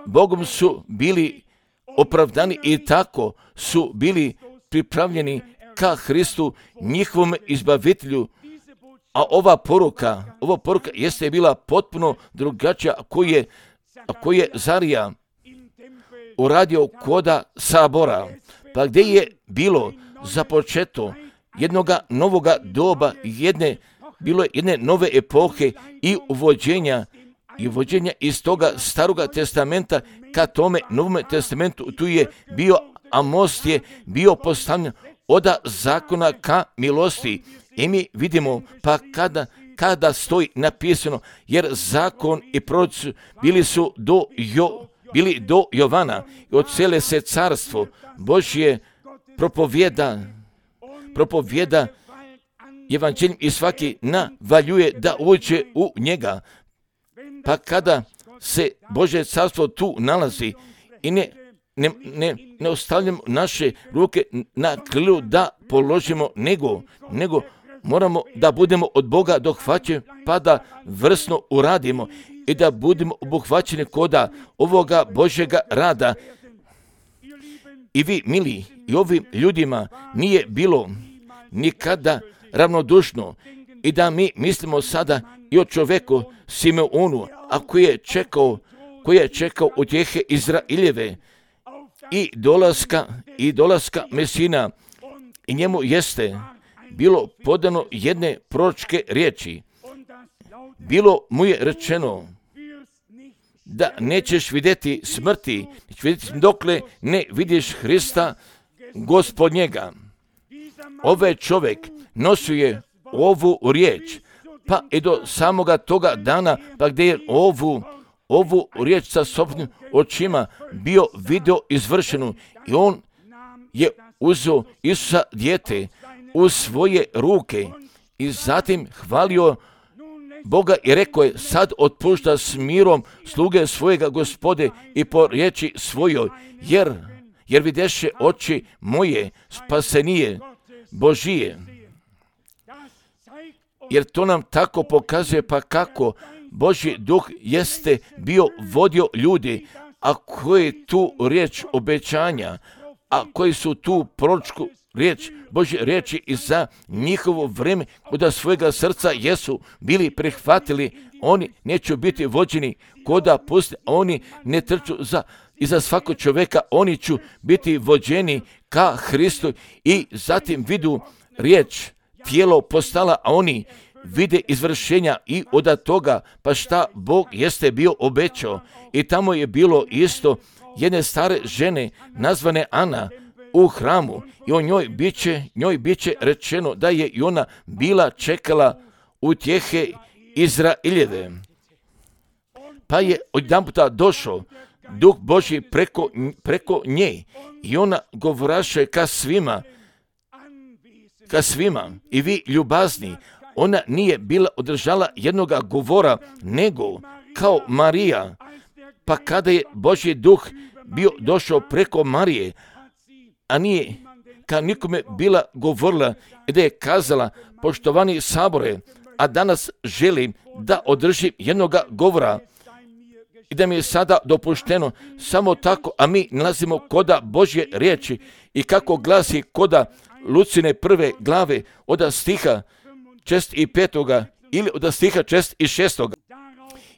[SPEAKER 1] Bogom su bili opravdani i tako su bili pripravljeni ka Hristu, njihovom izbavitelju. A ova poruka, ova poruka jeste bila potpuno drugačija, koji je, koji je Zarija uradio koda sabora, pa gdje je bilo započeto jednoga novoga doba, jedne, bilo je jedne nove epohe i uvođenja, i uvođenja iz toga staroga testamenta ka tome novome testamentu. Tu je bio, a most je bio postavljen od zakona ka milosti. I mi vidimo, pa kada, kada stoji napisano, jer zakon i proroci bili su do, jo, bili do Jovana, i od cijele se carstvo Božje propovjeda, propovjeda evanđeljem i svaki navaljuje da uđe u njega. Pa kada se Božje carstvo tu nalazi i ne, ne, ne, ne ostavljamo naše ruke na krilu da položimo, nego, nego moramo da budemo od Boga dohvaćeni, pa da vrsno uradimo i da budemo obuhvaćeni koda ovoga Božjega rada. I vi, mili, i ovim ljudima nije bilo nikada ravnodušno, i da mi mislimo sada i o čoveku Simeonu, a koji je čekao, koji je čekao utjehe Izraeljeve i dolaska, i dolaska Mesina, i njemu jeste bilo podano jedne proročke riječi. Bilo mu je rečeno da nećeš vidjeti smrti, nećeš vidjeti dokle ne vidiš Hrista Gospodnjega. Ovaj čovjek nosio je ovu riječ, pa i do samoga toga dana, pa gdje je ovu, ovu riječ sa sobnim očima bio video izvršenu, i on je uzeo Isusa dijete u svoje ruke i zatim hvalio Boga i rekao je: sad otpušta s mirom sluge svojega Gospode i po riječi svojoj, jer, jer videše oči moje spasenije Božije. Jer to nam tako pokazuje, pa kako Božji duh jeste bio vodio ljudi, a koji tu riječ obećanja, a koji su tu proročku riječ, Božje riječi i za njihovo vrijeme koda svojega srca jesu bili prihvatili, oni neće biti vođeni koda pusti, oni ne trču za, i za svakog čovjeka, oni će biti vođeni ka Hristu i zatim vidu riječ, tijelo postala, a oni vide izvršenja i od toga, pa šta Bog jeste bio obećao. I tamo je bilo isto jedne stare žene nazvane Ana u hramu, i o njoj biće, njoj biće rečeno da je i ona bila čekala utjehe Izraeljeve. Pa je odjedanputa došao Duh Božji preko, preko nje, i ona govoraše ka svima, ka svima, i vi ljubazni. Ona nije bila održala jednoga govora, nego kao Marija. Pa kada je Božji duh bio došao preko Marije, a nije ka nikome bila govorila, i da je kazala: poštovani sabore, a danas želim da održim jednoga govora, i da mi je sada dopušteno samo tako, a mi nalazimo koda Božje riječi, i kako glasi koda Lucine prve glave od stiha čest i petoga, ili od stiha čest i šestoga.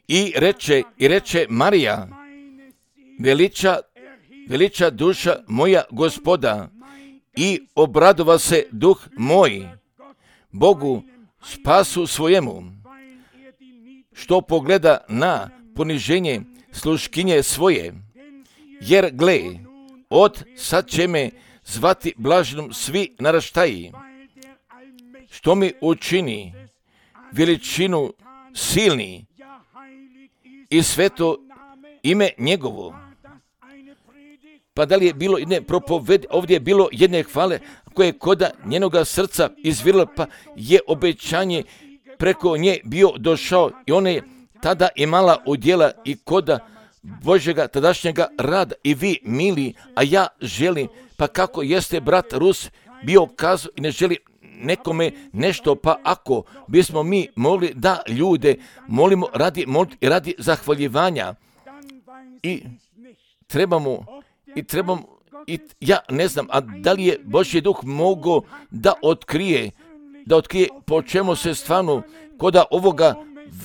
[SPEAKER 1] I reče, i reče Marija: veliča, veliča duša moja Gospoda, i obradova se duh moj Bogu spasu svojemu, što pogleda na poniženje sluškinje svoje. Jer gle, od sad će me zvati blaženom svi naraštaji, što mi učini veličinu silni i sveto ime njegovo. Pa da li je bilo jedne propovedi, ovdje je bilo jedne hvale koje je koda njenoga srca izvirilo, pa je obećanje preko nje bio došao i ona je tada imala udjela i koda Božjega tadašnjega rada. I vi, mili, a ja želim, pa kako jeste brat Rus bio kazao i ne želi nekome nešto, pa ako bismo mi mogli da ljude molimo radi, radi zahvaljivanja i trebamo, i trebamo, i ja ne znam, a da li je Božji duh mogao da otkrije, da otkrije po čemu se stvarno, koda ovoga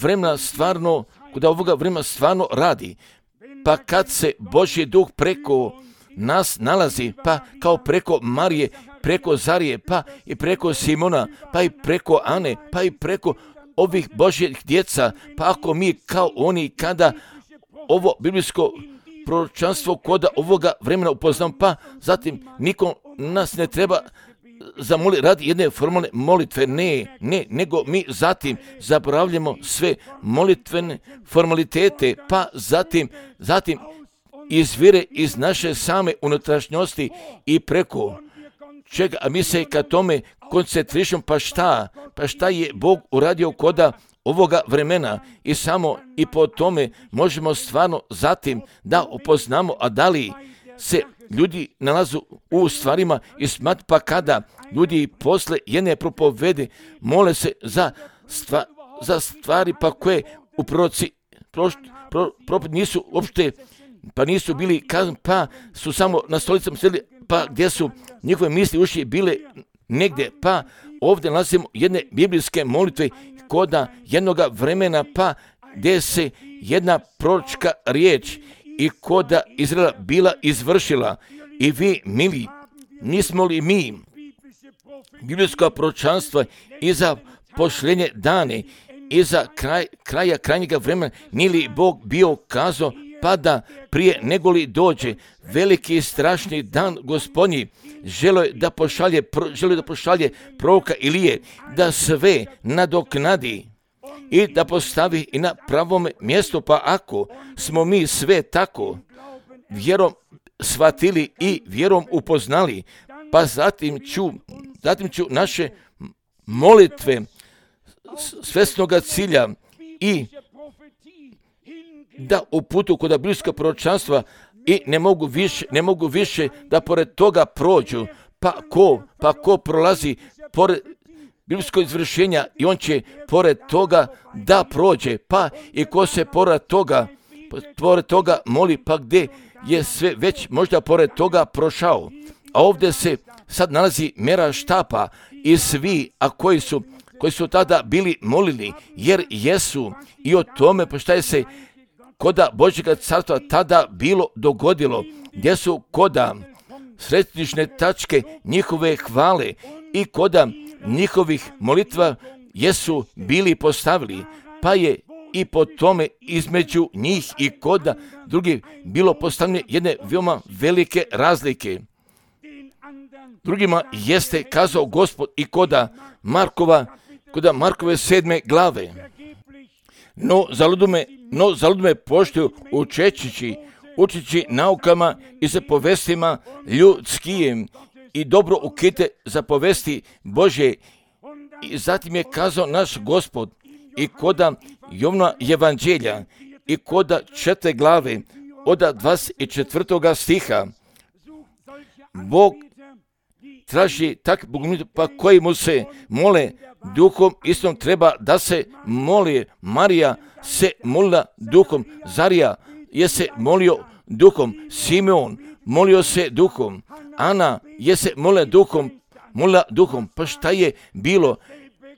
[SPEAKER 1] vremena stvarno, koda ovoga vremena stvarno radi. Pa kad se Božji duh preko nas nalazi, pa kao preko Marije, preko Zarije, pa i preko Simona, pa i preko Ane, pa i preko ovih Božjih djeca, pa ako mi kao oni kada ovo biblijsko proročanstvo koda ovoga vremena upoznamo, pa zatim niko nas ne treba zamoli radi jedne formalne molitve, ne, ne, nego mi zatim zaboravljamo sve molitvene formalitete, pa zatim, zatim izvire iz naše same unutrašnjosti i preko čega, a mi se ka tome koncentrišemo, pa šta, pa šta je Bog uradio koda ovoga vremena i samo i po tome možemo stvarno zatim da upoznamo, a da li se ljudi nalazu u stvarima i smat, pa kada ljudi posle jedne propovede mole se za, stva, za stvari pa koje u proroci prošt, pro, pro, nisu uopšte, pa nisu bili kazan, pa su samo na stolicama sjedili, pa gdje su njihove misli uši bile negdje, pa ovdje nalazimo jedne biblijske molitve koda jednoga vremena, pa gdje se jedna proročka riječ i koda Izraela bila izvršila. I vi, mili, nismo li mi biblijsko proročanstvo i za pošljenje dane i za kraj, kraja krajnjega vremena, nije li Bog bio kazao, pa da prije nego li dođe veliki i strašni dan Gospodnji, želio da pošalje, želio da pošalje proroka Ilije, da sve nadoknadi i da postavi i na pravome mjestu, pa ako smo mi sve tako vjerom shvatili i vjerom upoznali, pa zatim ću, zatim ću naše molitve svesnoga cilja i da uputu kod biblijskog proročanstva i ne mogu više, ne mogu više da pored toga prođu, pa ko, pa ko prolazi pored biblijskog izvršenja i on će pored toga da prođe, pa i ko se pored toga, pored toga moli, pa gdje je sve već možda pored toga prošao. A ovdje se sad nalazi mjera štapa i svi, a koji su, koji su tada bili molili, jer jesu i o tome, pa šta je se koda Božjega carstva tada bilo dogodilo, gdje su koda središnje tačke njihove hvale i koda njihovih molitva jesu bili postavili, pa je i po tome između njih i koda drugih bilo postavljene jedne veoma velike razlike. Drugima jeste kazao Gospod i koda Markova, koda Markove sedme glave. No zaludume, no zaludume poštuju učeći, učići naukama i za povestima ljudskijim i dobro ukite za povesti Božje. I zatim je kazao naš Gospod i koda Jovna evanđelja i koda četiri glave od dvadeset četvrtoga stiha. Bog traži tak bogomolitve, pa koji mu se mole duhom istom treba da se moli. Marija se molila duhom, Zarija je se molio duhom, Simeon molio se duhom, Ana je se molila duhom, molila duhom. Pa šta je bilo?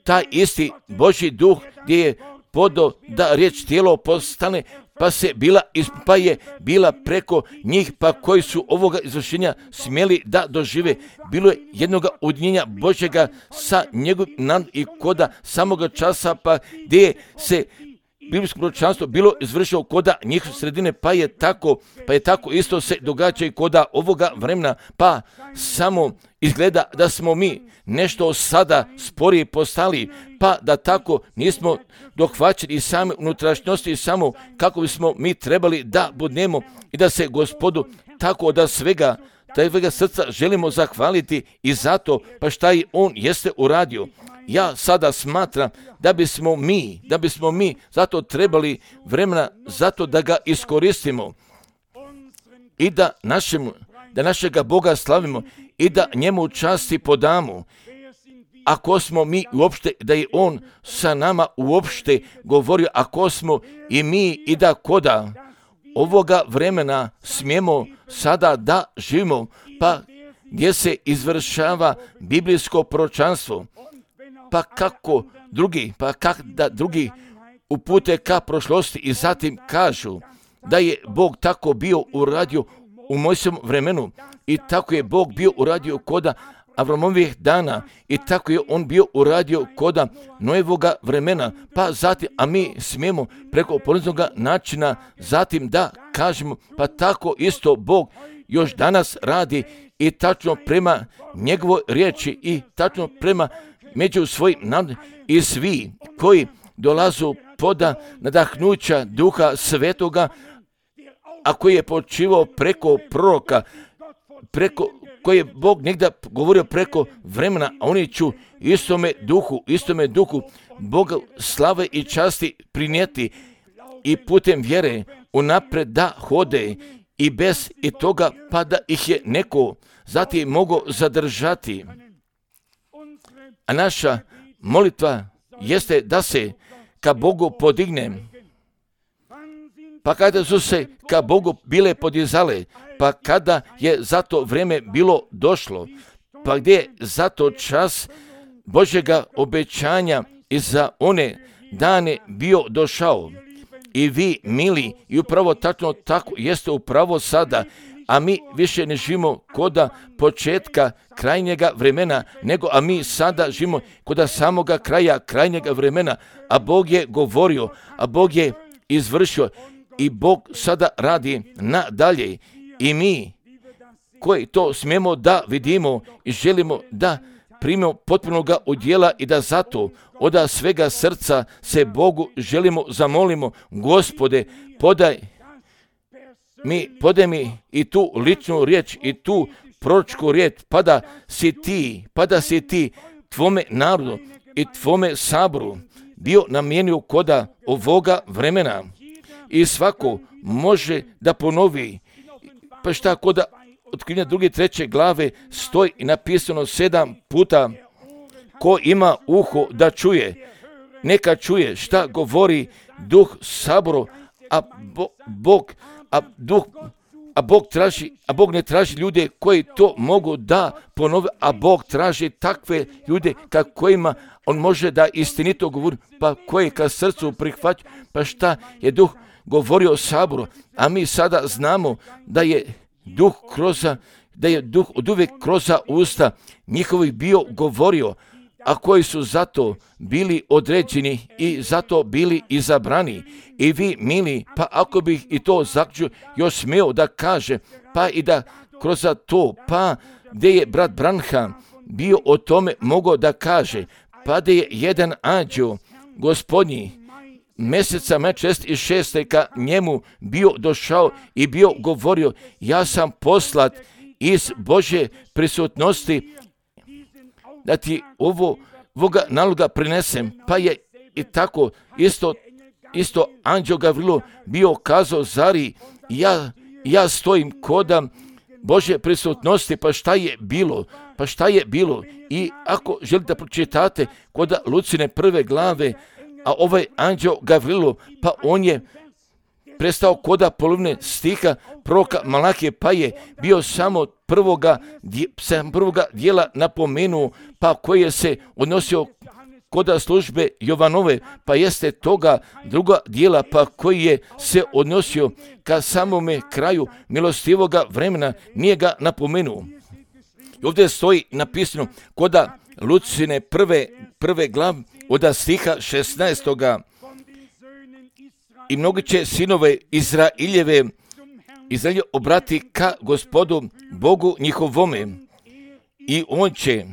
[SPEAKER 1] Taj isti Božji duh gdje je podo da riječ tijelo postane, pa se bila, pa je bila preko njih, pa koji su ovoga izvršenja smjeli da dožive. Bilo je jednoga udnjenja Božjega sa njegovim nad i koda samoga časa, pa gdje se biblijsko proročanstvo bilo izvršilo koda njihove sredine, pa je tako, pa je tako isto se događa i koda ovoga vremena, pa samo izgleda da smo mi nešto sada sporije postali, pa da tako nismo dohvaćeni i same unutrašnjosti i samo kako bismo mi trebali da budemo i da se Gospodu tako da svega, tajvega srca želimo zahvaliti i zato pa šta i on jeste uradio. Ja sada smatram da bismo mi, da bismo mi zato trebali vremena zato da ga iskoristimo i da, našemu, da našega Boga slavimo i da njemu časti podamo. Ako smo mi uopšte, da je on sa nama uopšte govorio, ako smo i mi i da koda ovoga vremena smijemo sada da živimo, pa gdje se izvršava biblijsko proročanstvo, pa kako drugi, pa kak da drugi upute ka prošlosti i zatim kažu da je Bog tako bio uradio u Mojsijevom vremenu i tako je Bog bio uradio koda Avramovih dana i tako je on bio uradio koda Noevoga vremena, pa zatim, a mi smijemo preko poniznog načina zatim da kažemo, pa tako isto Bog još danas radi i tačno prema njegovoj riječi i tačno prema među svojim narodom i svi koji dolazu poda nadahnuća Duha Svetoga, a koji je počivao preko proroka, preko koji je Bog negdje govorio preko vremena, a oni ću istome duhu, istome duhu Boga slave i časti prinijeti i putem vjere unapred da hode i bez i toga pa da ih je neko zatim mogao zadržati. A naša molitva jeste da se ka Bogu podigne. Pa kada su se ka Bogu bile podizale, pa kada je za to vrijeme bilo došlo, pa gdje je za to čas Božjega obećanja i za one dane bio došao. I vi, mili, i upravo tačno tako jeste upravo sada, a mi više ne živimo koda početka krajnjega vremena, nego a mi sada živimo koda samoga kraja krajnjega vremena, a Bog je govorio, a Bog je izvršio i Bog sada radi nadalje. I mi koji to smijemo da vidimo i želimo da primimo potpunoga udjela i da zato od svega srca se Bogu želimo zamolimo, Gospode, podaj mi, podaj mi i tu ličnu riječ i tu proročku riječ, pa da si ti, pa da si ti tvome narodu i tvome saboru bio namijenio koda ovoga vremena i svako može da ponovi. Pa šta koda otkrivenja druge treće glave stoji i napisano sedam puta, ko ima uho da čuje, neka čuje šta govori duh saboru, a bo, Bog, a duh, a Bog traži, a Bog ne traži ljude koji to mogu da ponove, a Bog traži takve ljude ka kojima on može da istinito govori, pa koji ka srcu prihvaća, pa šta je duh govorio saboru, a mi sada znamo da je duh kroz, da je duh od uvijek kroz usta njihovih bio govorio, a koji su zato bili određeni i zato bili izabrani. I vi, mili, pa ako bih i to zaključio još smio da kaže, pa i da kroz to, pa gdje je brat Branham bio o tome mogao da kaže, pa da je jedan anđeo gospodnji mjeseca maja šezdeset šeste ka njemu bio došao i bio govorio, ja sam poslat iz Božje prisutnosti da ti ovo, ovoga naloga prinesem. Pa je i tako isto, isto anđeo Gavrilo bio kazao, zari ja, ja stojim koda Božje prisutnosti, pa šta je bilo, pa šta je bilo. I ako želite da pročitate koda Lucine prve glave, a ovaj anđeo Gavrilo, pa on je prestao koda polovine stiha proroka Malahije, pa je bio samo prvoga, sam prvoga dijela napomenuo, pa koji je se odnosio koda službe Jovanove, pa jeste toga druga dijela, pa koji je se odnosio ka samome kraju milostivoga vremena, nije ga napomenuo. I ovdje stoji napisano koda Lucine prve, prve glav od stiha šesnaestoga. I mnogi će sinove Izraeljeve Izraelje obrati ka Gospodu Bogu njihovome i on će,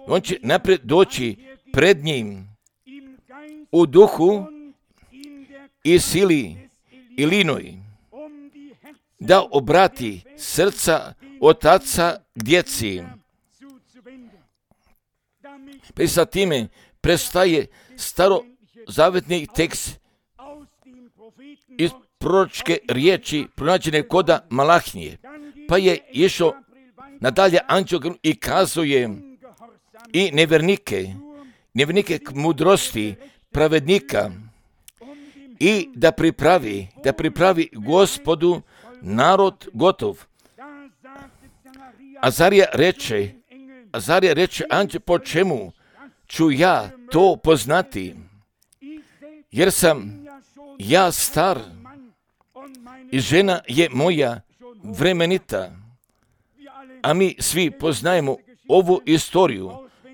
[SPEAKER 1] on će naprijed doći pred njim u duhu i sili i linoj, da obrati srca otaca k djeci. Pa i sa time prestaje starozavetni tekst iz proročke riječi pronađene koda Malahnije. Pa je išao nadalje anđeo i kazuje i nevjernike, nevjernike k mudrosti pravednika i da pripravi, da pripravi Gospodu narod gotov. Azarija reče, Azarija reče anđe, po čemu ću ja to poznati? Jer sam ja star i žena je moja vremenita. A mi svi poznajemo ovu istoriju,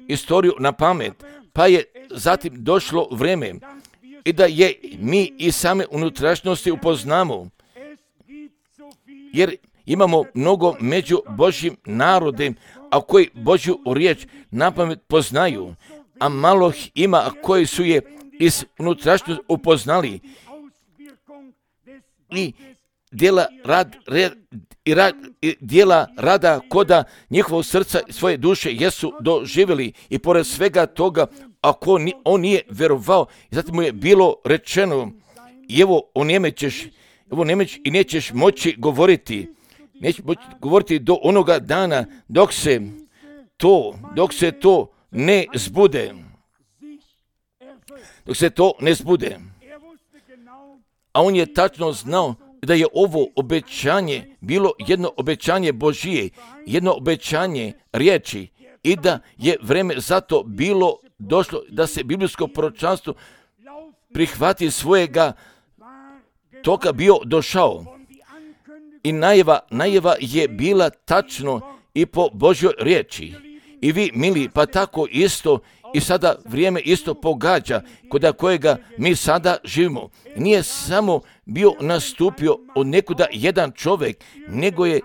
[SPEAKER 1] istoriju na pamet, pa je zatim došlo vrijeme i da je mi i same unutrašnjosti upoznamo, jer imamo mnogo među Božjim narodem, a koji Božju riječ na pamet poznaju, a malo ih ima, a koji su je iz unutrašnjosti upoznali i dijela rad, red, i rad, i dijela rada koda njihovog srca i svoje duše jesu doživjeli i pored svega toga, ako ni, on nije vjerovao, i zatim mu je bilo rečeno, i evo onemećeš, evo onemećeš i nećeš moći govoriti, nećeš moći govoriti do onoga dana dok se to, dok se to ne zbude, dok se to ne zbude. A on je tačno znao da je ovo obećanje bilo jedno obećanje Božije, jedno obećanje riječi i da je vrijeme zato bilo došlo da se biblijsko proročanstvo prihvati svojega toga bio došao. I najava, najava je bila tačno i po Božjoj riječi. I vi, mili, pa tako isto i sada vrijeme isto pogađa kod kojega mi sada živimo. Nije samo bio nastupio od nekuda jedan čovjek, nego je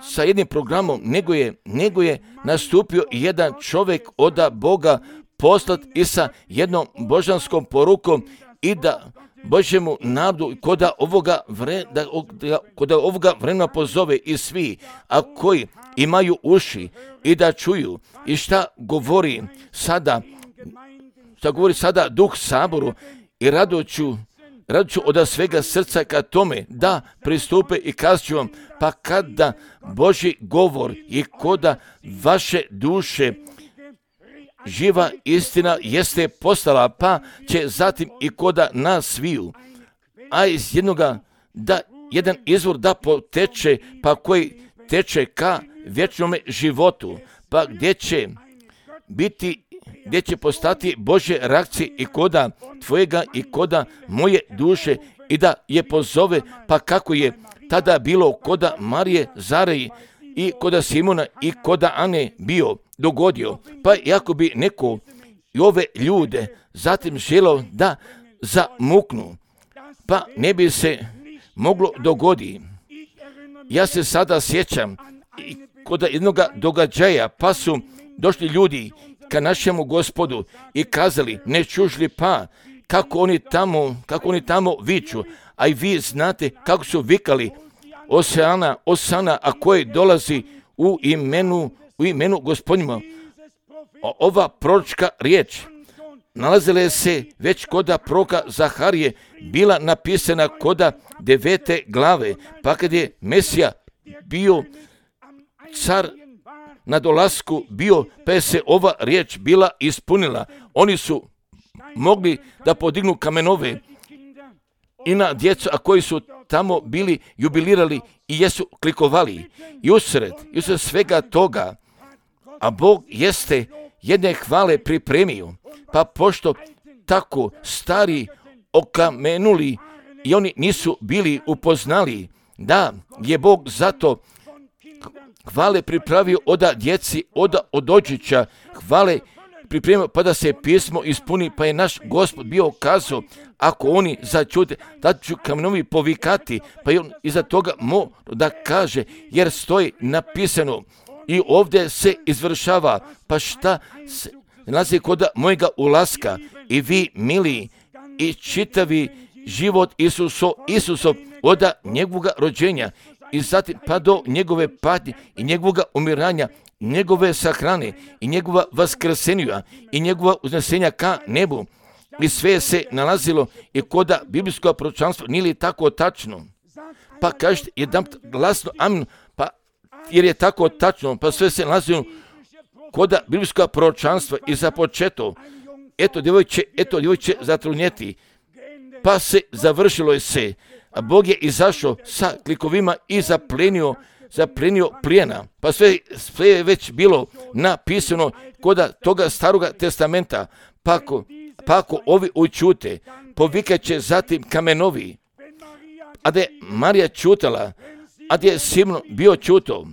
[SPEAKER 1] sa jednim programom, nego je, nego je nastupio jedan čovjek od Boga poslat i sa jednom božanskom porukom i da Božjemu narodu kod ovoga, vre, da, da, kod ovoga vremena pozove i svi, a koji imaju uši i da čuju i šta govori sada, šta govori sada Duh Saboru i radoću, radoću od svega srca ka tome da pristupe i kažu vam, pa kada Božji govor i koda vaše duše živa istina jeste postala, pa će zatim i koda nas sviju, a iz jednoga da jedan izvor da poteče, pa koji teče ka vječnome životu, pa gdje će biti, gdje će postati Božje reakcije i koda tvojega i koda moje duše i da je pozove, pa kako je tada bilo koda Marije Zareji i koda Simona i koda Ane bio dogodio. Pa jako bi neko i ove ljude zatim želeo da zamuknu, pa ne bi se moglo dogoditi. Ja se sada sjećam i kod jednog događaja, pa su došli ljudi ka našemu Gospodu i kazali, ne čuš li pa kako oni tamo, kako oni tamo viču, a i vi znate kako su vikali Osana, Osana, a koji dolazi u imenu, u imenu Gospodnjima. Ova proročka riječ nalazila se već koda proroka Zaharije, bila napisana koda devete glave, pa kad je Mesija bio car na dolasku bio, pa je se ova riječ bila ispunila. Oni su mogli da podignu kamenove i na djecu, a koji su tamo bili jubilirali i jesu klikovali. I usred, i usred svega toga, a Bog jeste jedne hvale pripremio, pa pošto tako stari okamenuli i oni nisu bili upoznali da je Bog zato hvale pripravio od djeci, od odođića, hvale pripremio pa da se pismo ispuni, pa je naš Gospod bio kazao, ako oni začute, da ću kamenovi povikati, pa je on iza toga mora da kaže, jer stoji napisano i ovdje se izvršava, pa šta se nalazi kod mojega ulaska i vi, mili, i čitavi život Isuso, Isuso od njegovog rođenja i zatim pa do njegove patnje i njegovoga umiranja, njegove sahrane i njegova vaskrsenja i njegova uznesenja ka nebu. I sve se nalazilo i koda biblijsko proročanstvo nije li tako tačno? Pa kažete jedan glasno amin, pa jer je tako tačno, pa sve se nalazilo koda biblijsko proročanstva i za početo. Eto djevojče, eto djevojče zatrudnjeti. Pa se završilo je se, a Bog je izašao sa klikovima i zaplenio, zaplenio plijena. Pa sve, sve je već bilo napisano koda toga staroga testamenta. Pa ako, pa ako ovi učute, povikat će zatim kamenovi. A da je Marija čutala, a da je Simon bio čuto,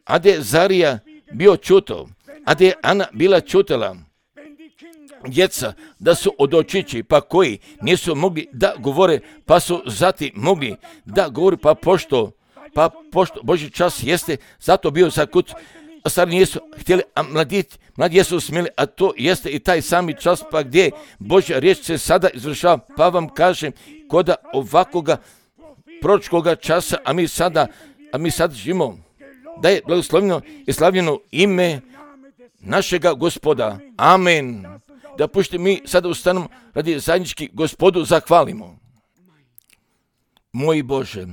[SPEAKER 1] a da je Zarija bio čuto, a da je Ana bila čutala. Djeca da su od očići, pa koji nisu mogli da govore, pa su zatim mogli da govori, pa pošto, pa pošto Božji čas jeste, zato bio zakut, a stari nisu htjeli, a mladi, mladi jesu smjeli, a to jeste i taj sami čas, pa gdje Božja riječ se sada izvršava, pa vam kažem, koda ovakvoga proročkoga časa, a mi sada, a mi sad živimo, da je blagoslovljeno i slavljeno ime našega Gospoda. Amen. Da pušti mi sada ustanemo radi zajednički Gospodu zahvalimo. Moj Bože,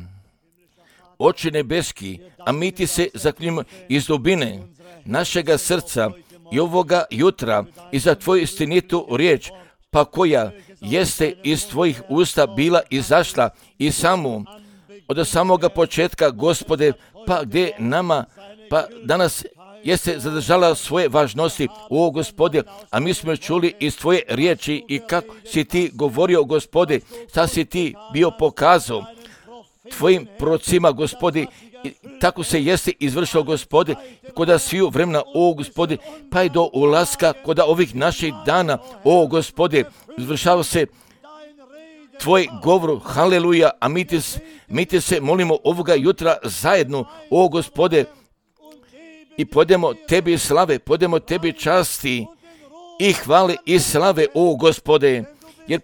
[SPEAKER 1] Oče nebeski, a mi ti se zaklinjemo iz dubine našega srca i ovoga jutra i za tvoju istinitu riječ, pa koja jeste iz tvojih usta bila izašla i samo od samoga početka, Gospode, pa gdje nama, pa danas jeste zadržala svoje važnosti, o Gospode, a mi smo čuli iz tvoje riječi i kako si ti govorio, Gospode, šta si ti bio pokazao tvojim prorocima, Gospode, i tako se jeste izvršilo, Gospode, koda sviju vremena, o Gospode, pa i do ulaska koda ovih naših dana, o Gospode, izvršava se tvoj govor, haleluja, a mi ti, mi ti se molimo ovoga jutra zajedno, o Gospode, i podemo tebi slave, podemo tebi časti i hvale i slave, o Gospode, jer,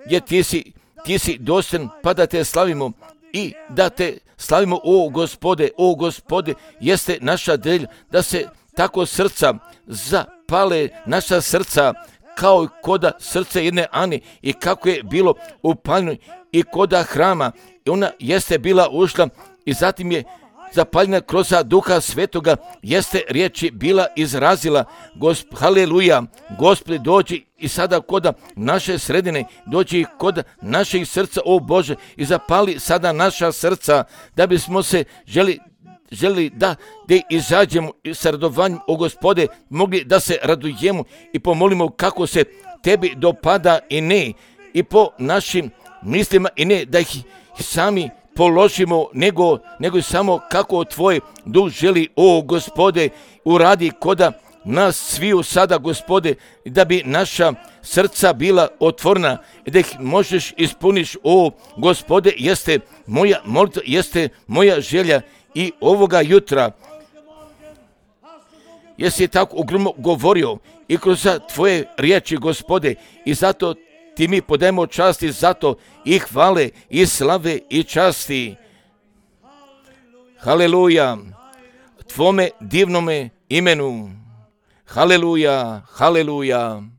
[SPEAKER 1] jer ti si, ti si dostojan, pa da te slavimo i da te slavimo, o Gospode, o Gospode, jeste naša želja da se tako srca zapale, naša srca, kao i koda srce jedne Ani i kako je bilo upaljeno i koda hrama, i ona jeste bila ušla i zatim je zapaljena kroz Duha Svetoga, jeste riječi bila izrazila, Gosp, haleluja, Gospode, dođi i sada koda naše sredine, dođi koda naših srca, o Bože, i zapali sada naša srca, da bismo se želi želi da, da izađemo sa radovanjem, o Gospode, mogli da se radujemo i pomolimo kako se tebi dopada i ne, i po našim mislima i ne da ih sami položimo, nego, nego samo kako tvoj duh želi, o Gospode, uradi koda nas sviju sada, Gospode, da bi naša srca bila otvorena i da ih možeš ispuniš, o Gospode, jeste moja molitva, jeste moja želja i ovoga jutra. Jesi tako ogromno govorio i kroz tvoje riječi, Gospode, i zato ti mi podajemo časti, zato i hvale i slave i časti. Haleluja, tvome divnome imenu. Haleluja, haleluja.